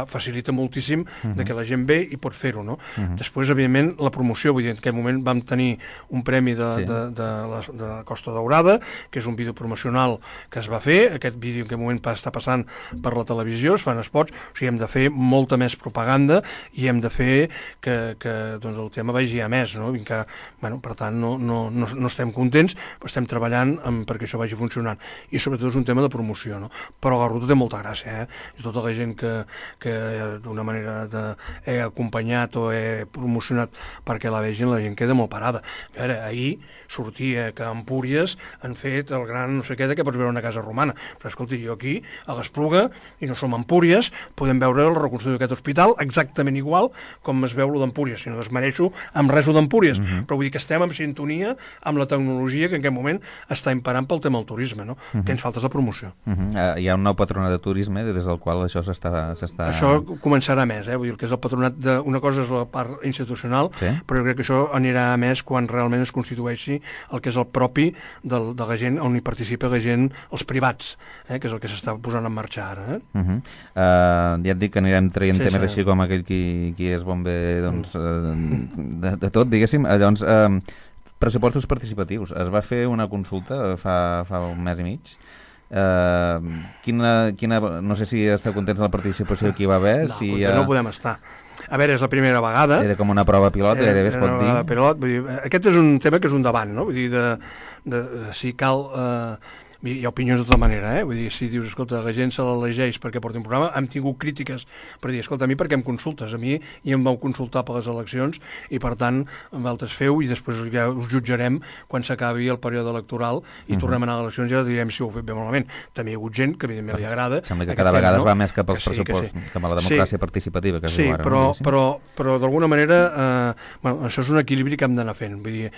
S3: facilita moltíssim de que la gent ve i pot fer-ho, no? Després, evidentment, la promoció, vull dir, en aquell moment vam tenir un premi de Costa Daurada, que és un vídeo promocional que es va fer. Aquest vídeo en aquell moment està passant per la televisió, es fan spots, o sigui, hem de fer molta més propaganda i hem de fer que doncs, el tema vagi a més, no? Per tant, no estem contents, però estem treballant perquè això vagi funcionant. I sobretot és un tema de promoció, no? Però la ruta té molta gràcia, I tota la gent que d'una manera he acompanyat o he promocionat perquè la vegin, la gent queda molt parada. A veure, ahir sortia que a Empúries han fet el gran no sé què que pots veure una casa romana, però escolti, jo aquí a l'Espluga, i no som a Empúries, podem veure la reconstrucció d'aquest hospital exactament igual com es veu lo d'Empúries, si no desmereixo amb res d'Empúries, però vull dir que estem en sintonia amb la tecnologia que en aquest moment està imperant pel tema del turisme, no? Que ens falta és la promoció.
S2: Hi ha un nou patronat de turisme des del qual això s'està...
S3: Això començarà més, vull dir que és el patronat una cosa és la part institucional, però jo crec que això anirà a més quan realment es constitueixi el que és el propi de la gent, on hi participa la gent, els privats, que és el que s'està posant en marxa ara.
S2: Ja et dic que anirem traient temes així com aquell qui és bon bé de tot, diguéssim. Llavors, pressupostos participatius. Es va fer una consulta fa un mes i mig. No sé si esteu contents de la participació que hi va haver.
S3: No podem estar. A veure, és la primera vegada.
S2: Era com una prova pilot, gairebé es pot dir.
S3: Aquest és un tema que és un debat, no? Vull dir, si cal hi ha opinions de tota manera, vull dir, si dius, escolta, la gent se l'elegeix perquè porti un programa, hem tingut crítiques per dir, escolta, a mi per què em consultes? A mi ja em vau consultar per les eleccions i per tant, vosaltres feu i després ja us jutjarem quan s'acabi el període electoral i tornem a anar a eleccions i ja direm si ho heu fet bé o malament. També hi ha hagut gent que evidentment li agrada.
S2: Sembla que cada vegada es va més cap als pressupostos, cap a la democràcia participativa que es diu ara.
S3: Sí, però d'alguna manera això és un equilibri que hem d'anar fent. Vull dir,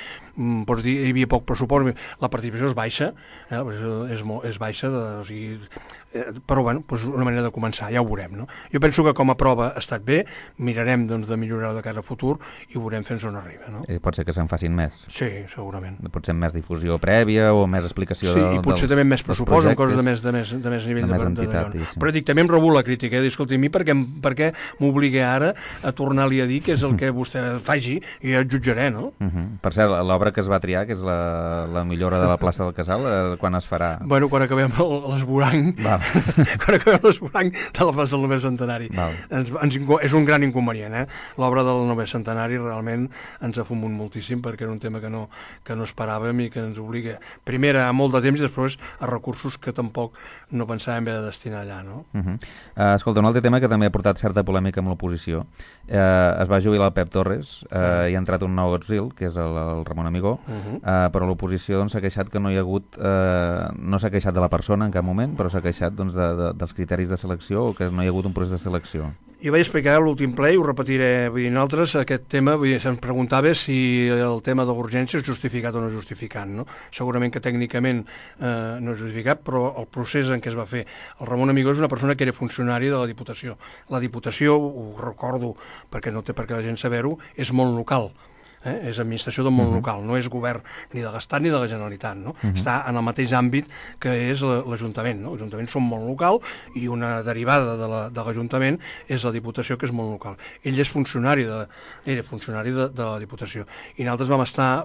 S3: pots dir, hi havia poc pressupost, la participació és baixa, és baixa, o sigui, però bueno, és una manera de començar, ja ho veurem, no? Jo penso que com a prova ha estat bé, mirarem doncs, de millorar de cara a futur i ho veurem fins on arriba, no?
S2: Pot ser que se'n facin més.
S3: Sí, segurament.
S2: Potser més difusió prèvia o més explicació
S3: i potser també més pressupost, amb coses de més nivell d'allò. Però dic, també em rebu la crítica, escolta, a mi per què m'obliga ara a tornar-li a dir que és el que vostè faci i ja et jutjaré, no?
S2: Per cert, l'obra que es va triar, que és la millora de la plaça del Casal, quan es farà?
S3: Bueno, quan acabem l'esborany, quan acabem l'esborany de la plaça del 9è centenari. És un gran inconvenient, L'obra del 9è centenari realment ens ha fumut moltíssim perquè era un tema que no esperàvem i que ens obliga, primer a molt de temps i després a recursos que tampoc no pensàvem haver de destinar allà, no?
S2: Escolta, un altre tema que també ha portat certa polèmica amb l'oposició. Es va jubilar el Pep Torres i ha entrat un nou auxil, que és el Ramon Amigó, però l'oposició s'ha queixat que no hi ha hagut, no s'ha queixat de la persona en cap moment, però s'ha queixat dels criteris de selecció o que no hi ha hagut un procés de selecció.
S3: Jo vaig explicar a l'últim ple i ho repetiré, vull dir, nosaltres aquest tema, se'ns preguntava si el tema de l'urgència és justificat o no justificat, no? Segurament que tècnicament no és justificat, però el procés en què es va fer. El Ramon Amigó és una persona que era funcionari de la Diputació. La Diputació, ho recordo perquè no té per què la gent saber-ho, és molt local. És administració del món local, no és govern ni de l'Estat ni de la Generalitat, no? Està en el mateix àmbit que és l'Ajuntament, no? L'Ajuntament són molt local i una derivada de l'Ajuntament és la Diputació, que és molt local. Ell és funcionari era funcionari de la Diputació i nosaltres vam estar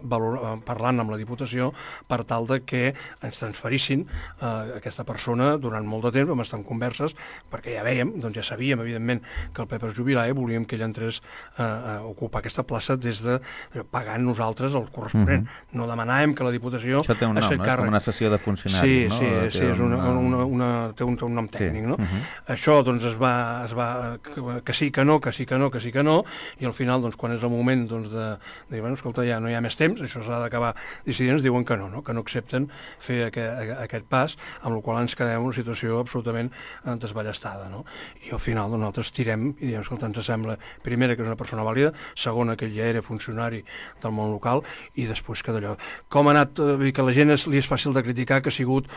S3: parlant amb la Diputació per tal de que ens transferissin aquesta persona durant molt de temps, vam estar en converses perquè ja vèiem, doncs ja sabíem evidentment que el Pep es jubilava i volíem que ell entrés a ocupar aquesta plaça des de pagant nosaltres el corresponent. No demanàvem que la Diputació...
S2: Això té un nom, és com una sessió de funcionaris, no?
S3: Sí, té un nom tècnic, no? Això, doncs, es va... que sí, que no, i al final, doncs, quan és el moment de dir, bueno, escolta, ja no hi ha més temps, això s'ha d'acabar decidint, ens diuen que no accepten fer aquest pas, amb el qual ens quedem en una situació absolutament desballestada, no? I al final, nosaltres tirem i diem, escolta, ens sembla, primera, que és una persona vàlida, segona, que ja era funcionari del món local, i després que d'allò. Com ha anat, que a la gent li és fàcil de criticar, que ha sigut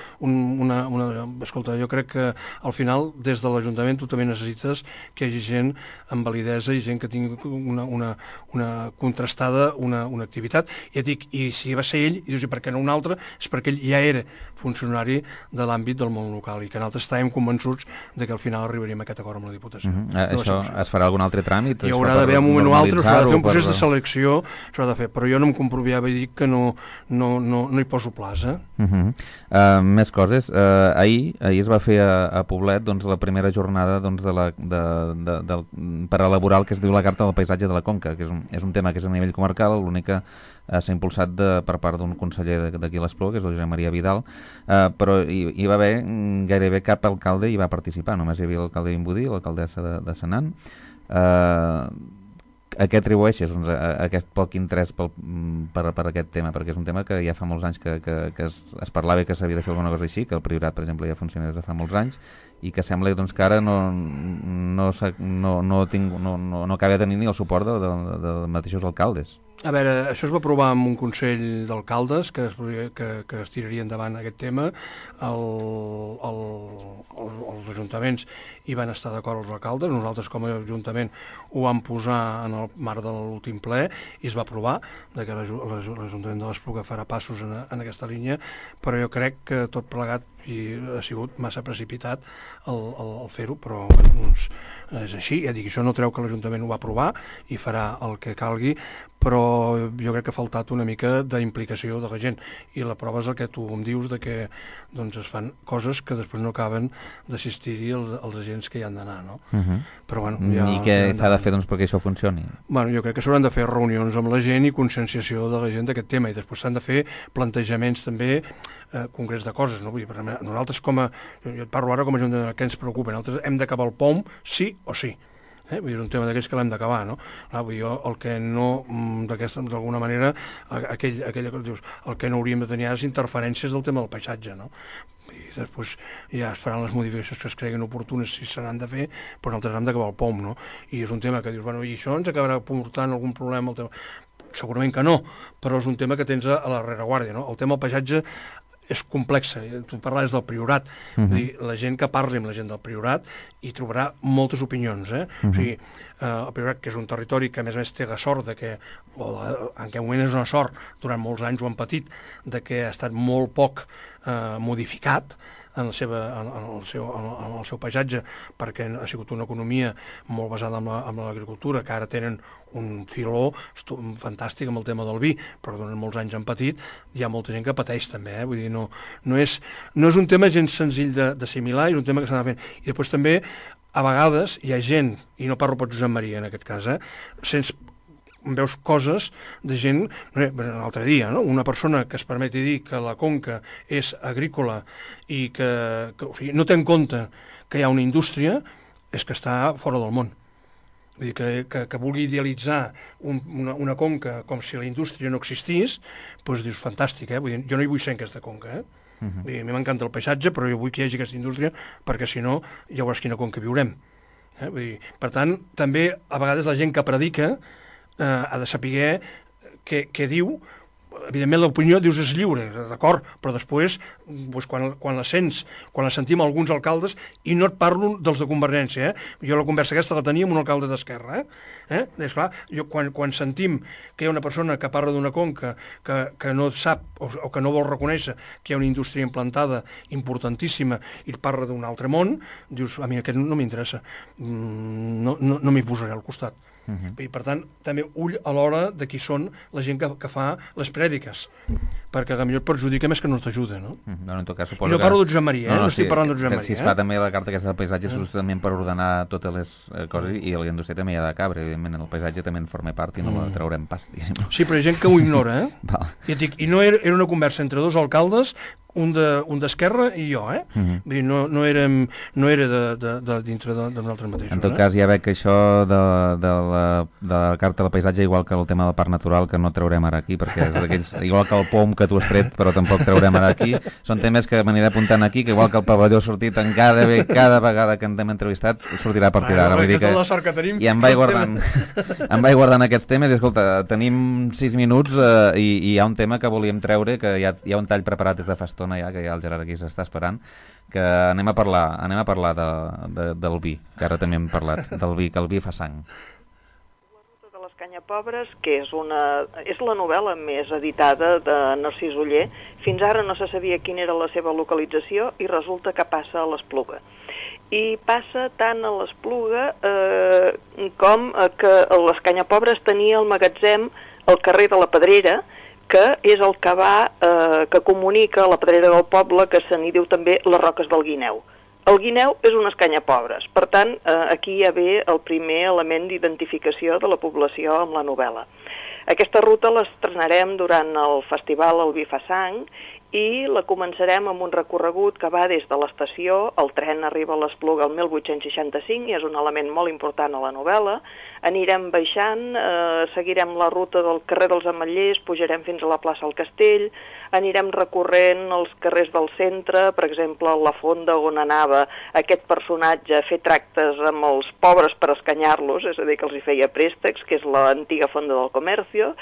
S3: escolta, jo crec que al final, des de l'Ajuntament, tu també necessites que hi hagi gent amb validesa i gent que tingui una contrastada, una activitat. I et dic, i si va ser ell, i dius, i per què no un altre? És perquè ell ja era funcionari de l'àmbit del món local i que nosaltres estàvem convençuts de que al final arribaríem a aquest acord amb la Diputació.
S2: Això es farà algun altre tràmit?
S3: Hi haurà d'haver un moment o altre, s'ha de fer un procés de selecció, s'ha de fer, però jo no em comproviava i dic que no hi poso plaça.
S2: Més coses. Ahir es va fer a Poblet la primera jornada per elaborar el que es diu la Carta del Paisatge de la Conca, que és un tema que és a nivell comarcal, l'únic que s'ha impulsat per part d'un conseller d'aquí a l'Espluga, que és el Josep Maria Vidal, però hi va haver gairebé cap alcalde hi va participar, només hi havia l'alcalde Vimbodí, l'alcaldessa de Senan. A què atribueixes aquest poc interès per aquest tema? Perquè és un tema que ja fa molts anys que es parlava que s'havia de fer alguna cosa així, que el Priorat, per exemple, ja funciona des de fa molts anys, i que sembla que ara no acaba de tenir ni el suport dels mateixos alcaldes.
S3: A veure, això es va aprovar amb un Consell d'Alcaldes que es tiraria endavant aquest tema. Els ajuntaments hi van estar d'acord els alcaldes, nosaltres com a ajuntament ho vam posar en el marc de l'últim ple i es va aprovar que l'Ajuntament de l'Espluga farà passos en aquesta línia, però jo crec que tot plegat i ha sigut massa precipitat el fer-ho, però doncs, és així. Ja dic, això no treu que l'Ajuntament ho va aprovar i farà el que calgui, però jo crec que ha faltat una mica d'implicació de la gent, i la prova és el que tu em dius, de que doncs, es fan coses que després no acaben d'assistir-hi els agents que hi han d'anar, no? Però, bueno, ja...
S2: I què s'ha de fer doncs, perquè això funcioni?
S3: Bueno, jo crec que s'hauran de fer reunions amb la gent i conscienciació de la gent d'aquest tema, i després s'han de fer plantejaments també concrets de coses, no? Vull dir, nosaltres jo et parlo ara com a gent que ens preocupa, nosaltres hem d'acabar el POM sí o sí. Vull dir, és un tema d'aquells que l'hem d'acabar, no? Vull dir, el que no, d'alguna manera, aquella que dius, el que no hauríem de tenir és interferències del tema del paisatge, no? I després ja es faran les modificacions que es creguin oportunes, si s'han de fer, però nosaltres hem d'acabar el POM, no? I és un tema que dius, bueno, i això ens acabarà portant algun problema? Segurament que no, però és un tema que tens a la rereguàrdia, no? El tema del paisatge és complexa, tu parlaves del Priorat, dir, la gent que parli amb la gent del Priorat hi trobarà moltes opinions, o sigui, el Priorat, que és un territori que a més té la sort de que, en aquest moment és una sort, durant molts anys ho han patit, de que ha estat molt poc modificat en el seu paisatge, perquè ha sigut una economia molt basada en l'agricultura, que ara tenen un filó fantàstic amb el tema del vi, però durant molts anys han patit. Hi ha molta gent que pateix també, vull dir, no és un tema gens senzill d'assimilar, és un tema que s'ha de fer. I després també, a vegades, hi ha gent, i no parlo per Josep Maria en aquest cas, veus coses de gent, l'altre dia, no? Una persona que es permeti dir que la conca és agrícola i que o sigui, no té en compte que hi ha una indústria, és que està fora del món. Vull dir, que vulgui idealitzar una conca com si la indústria no existís, doncs dius, fantàstic, Vull dir, jo no hi vull ser en aquesta conca, Vull dir, a mi m'encanta el paisatge, però jo vull que hi hagi aquesta indústria, perquè si no, ja veuràs quina conca viurem. Vull dir, per tant, també, a vegades la gent que predica ha de saber què diu. Evidentment l'opinió, dius, és lliure, d'acord, però després, doncs, quan la sents, quan la sentim alguns alcaldes, i no et parlo dels de Convergència, jo la conversa aquesta la tenia amb un alcalde d'Esquerra, és clar, quan sentim que hi ha una persona que parla d'una conca que no sap o que no vol reconèixer que hi ha una indústria implantada importantíssima i parla d'un altre món, dius, a mi aquest no m'interessa, no m'hi posaré al costat. I, per tant, també ull a l'hora de qui són la gent que fa les prèdiques, perquè potser et perjudica més que no t'ajuda, no?
S2: En tot cas,
S3: I no parlo de Josep Maria, no estic parlant de Josep Maria.
S2: Si es fa també la carta aquesta del paisatge, és justament per ordenar totes les coses, i la indústria també hi ha de cabre, evidentment, el paisatge també en forma part i no la traurem pas, diguéssim.
S3: Sí, però hi ha gent que ho ignora, I no era una conversa entre dos alcaldes, un d'Esquerra i jo, Vull dir, no era dintre de nosaltres mateixos.
S2: En tot cas, ja veig que això de la carta del paisatge, igual que el tema del parc natural, que no traurem ara aquí, perquè és d'aquells, igual que el POM que tu has tret, però tampoc traurem ara aquí, són temes que m'aniré apuntant aquí, que igual que el pavelló ha sortit en cada vegada que ens hem entrevistat, sortirà a partir d'ara. I em vaig guardant aquests temes, i escolta, tenim 6 minuts i hi ha un tema que volíem treure, que hi ha un tall preparat des de fa estona, ja, que ja el Gerard aquí s'està esperant, que anem a parlar del vi, que ara també hem parlat del vi, que el vi fa sang.
S10: La ruta de les Canyapobres, que és la novel·la més editada de Narcís Oller. Fins ara no se sabia quina era la seva localització i resulta que passa a l'Espluga. I passa tant a l'Espluga com que les Canyapobres tenia el magatzem al carrer de la Pedrera, que és el que que comunica la Pedrera del Poble, que se n'hi diu també les Roques del Guineu. El guineu és unes canyapobres, per tant, aquí ja ve el primer element d'identificació de la població amb la novel·la. Aquesta ruta l'estrenarem durant el festival El Vi fa sang i la començarem amb un recorregut que va des de l'estació, el tren arriba a l'Espluga el 1865 i és un element molt important a la novel·la. Anirem baixant, seguirem la ruta del carrer dels Ametllers, pujarem fins a la plaça del Castell, anirem recorrent els carrers del centre, per exemple, la fonda on anava aquest personatge a fer tractes amb els pobres per escanyar-los, és a dir, que els hi feia préstecs, que és l'antiga fonda del Comercio.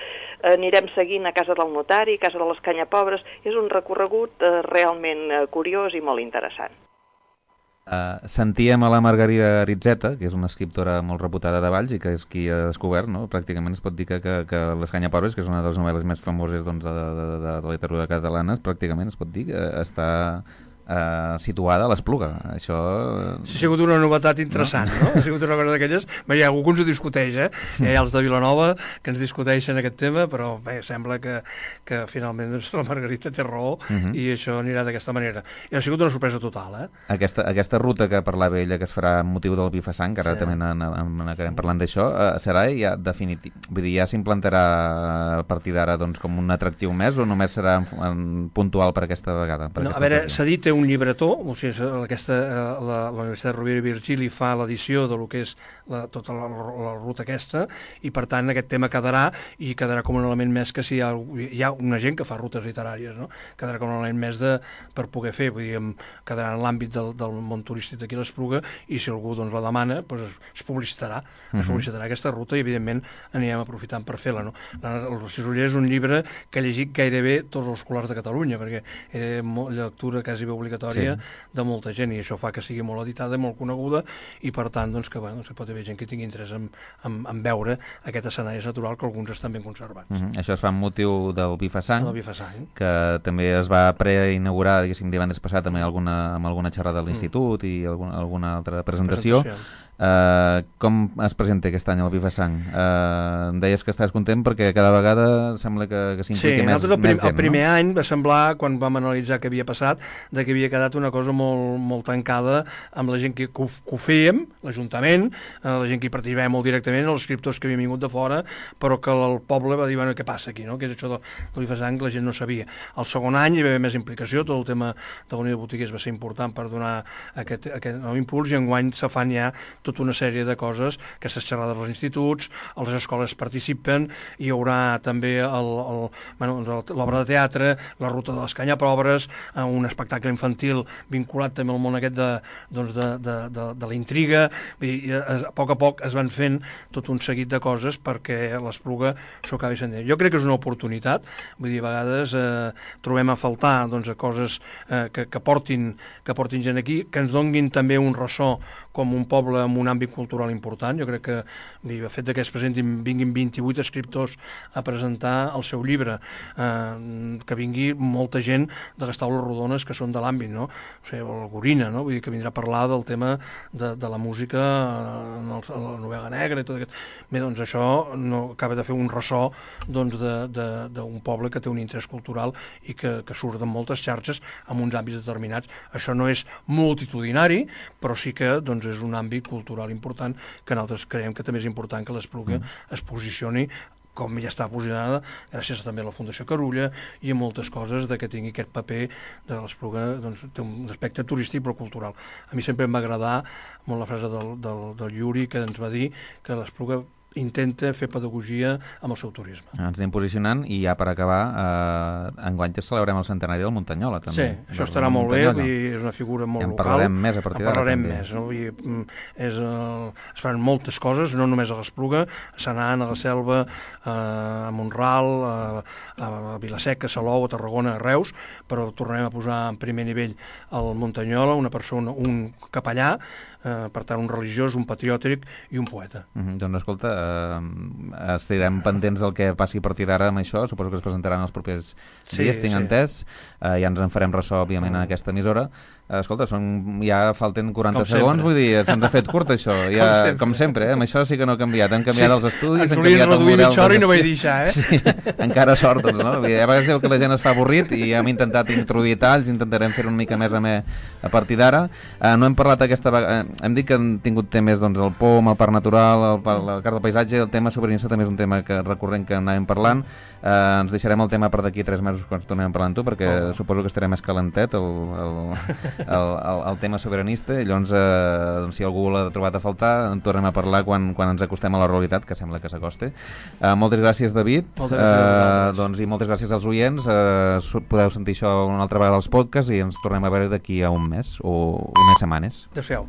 S10: Anirem seguint a Casa del Notari, Casa de les Canyapobres. És un recorregut realment curiós i molt interessant.
S2: Sentíem a la Margarida Aritzeta, que és una escriptora molt reputada de Valls i que és qui ha descobert, no? Pràcticament es pot dir que Les Canyapobres, que és una de les novel·les més famoses doncs, de la literatura catalana, pràcticament es pot dir que està situada a l'Espluga. Això...
S3: Ha sigut una novetat interessant, no? Ha sigut una cosa d'aquelles... Hi ha algú que ens ho discuteix, Hi ha els de Vilanova que ens discuteixen aquest tema, però bé, sembla que finalment doncs, la Margarita té raó i això anirà d'aquesta manera. I ha sigut una sorpresa total,
S2: Aquesta ruta que parlava ella, que es farà amb motiu del Bifasang, que ara també n'acabarem parlant d'això, serà ja definitiu? Vull dir, ja s'implantarà a partir d'ara doncs, com un atractiu més o només serà puntual per aquesta vegada?
S3: No, a veure, s'ha dit un llibretó, o sigui, la Universitat Rovira i Virgili fa l'edició de lo que és tota la ruta aquesta, i per tant aquest tema quedarà com un element més que si hi ha una gent que fa rutes literàries, no? Quedarà com un element més per poder fer, vull dir, quedarà en l'àmbit del món turístic d'aquí a l'Espluga, i si algú doncs, la demana, doncs, es publicitarà aquesta ruta i evidentment anirem aprofitant per fer-la, no? El Cisoller és un llibre que ha llegit gairebé tots els escolars de Catalunya, perquè era lectura quasi bé obligatòria de molta gent, i això fa que sigui molt editada, molt coneguda, i per tant doncs, que pot haver gent que tingui interès en veure aquest escenari natural, que alguns estan ben conservats.
S2: Això es fa amb motiu del Bifasang, que també es va preinaugurar, diguéssim, divendres passat amb alguna xerrada de l'institut i alguna altra presentació. Com es presenta aquest any el Bifasang? Em deies que estàs content perquè cada vegada sembla que s'impliqui més gent, no?
S3: El primer any va semblar, quan vam analitzar què havia passat, que havia quedat una cosa molt, molt tancada amb la gent que ho fèiem, l'Ajuntament, la gent que hi participava molt directament, els escriptors que havien vingut de fora, però que el poble va dir, bueno, què passa aquí, no? Que és això del Bifasang, la gent no sabia. El segon any hi va haver més implicació, tot el tema de la Unió de Botiguers va ser important per donar aquest nou impuls, i enguany se fan ja tota una sèrie de coses, aquestes xerrades als instituts, a les escoles participen, hi haurà també l'obra de teatre, la ruta de les canyapobres, un espectacle infantil vinculat també al món aquest de la intriga, i a poc es van fent tot un seguit de coses perquè l'Espluga s'ho acabi sent. Jo crec que és una oportunitat, vull dir, a vegades trobem a faltar coses que portin gent aquí, que ens donguin també un ressò com un poble amb un àmbit cultural important. Jo crec que el fet que es vinguin 28 escriptors a presentar el seu llibre, que vingui molta gent de les taules rodones que són de l'àmbit, no? O sigui, el Gorina, no? Vull dir que vindrà a parlar del tema de la música a la novel·la negra i tot aquest... Bé, doncs això no acaba de fer un ressò d'un poble que té un interès cultural i que surt de moltes xarxes en uns àmbits determinats. Això no és multitudinari, però sí que és un àmbit cultural important que nosaltres creiem que també és important que l'Espluga es posicioni com ja està posicionada, gràcies també a la Fundació Carulla i a moltes coses que tingui aquest paper de l'Espluga, té un aspecte turístic però cultural. A mi sempre em va agradar molt la frase del Yuri, que ens va dir que l'Espluga intenta fer pedagogia amb el seu turisme.
S2: Ens anem posicionant i ja per acabar, enguany celebrem el centenari del Muntanyola, també.
S3: Sí, això estarà molt bé, és una figura molt local.
S2: En parlarem més a partir d'ara.
S3: En parlarem més, no? Es fan moltes coses, no només a l'Espluga, a Senan, a la Selva, a Mont-ral, a Vila-seca, a Salou, a Tarragona, a Reus, però tornarem a posar en primer nivell el Muntanyola, una persona, un capellà, per tant un religiós, un patriòtic i un poeta.
S2: Doncs escolta, estarem pendents del que passi a partir d'ara amb això, suposo que es presentaran els propers dies, tinc entès, ja ens en farem ressò òbviament en aquesta emissora. Escolta, ja falten 40 segons, vull dir, se'ns ha fet curt això, com sempre, amb això sí que no ha canviat, han canviat els estudis, han canviat el model dels
S3: estudis. I no vaig deixar,
S2: Sí, encara sort, doncs, no? A vegades diu que la gent es fa avorrit i hem intentat introduir talls, intentarem fer una mica més a partir d'ara. No hem parlat aquesta vegada, hem dit que hem tingut temes, doncs, el POM, el Parc Natural, la Carta del Paisatge, el tema sobiranista també és un tema recurrent que anàvem parlant. Ens deixarem el tema per d'aquí 3 mesos quan tornem parlant tu, perquè suposo que estarà més calentet el tema sobiranista, i llavors si algú l'ha trobat a faltar en tornem a parlar quan ens acostem a la realitat, que sembla que s'acoste. Moltes gràcies, David.
S3: Moltes gràcies.
S2: I moltes gràcies als oients. Podeu sentir això una altra vegada als podcasts i ens tornem a veure d'aquí a un mes o unes setmanes.
S3: Adéu-siau.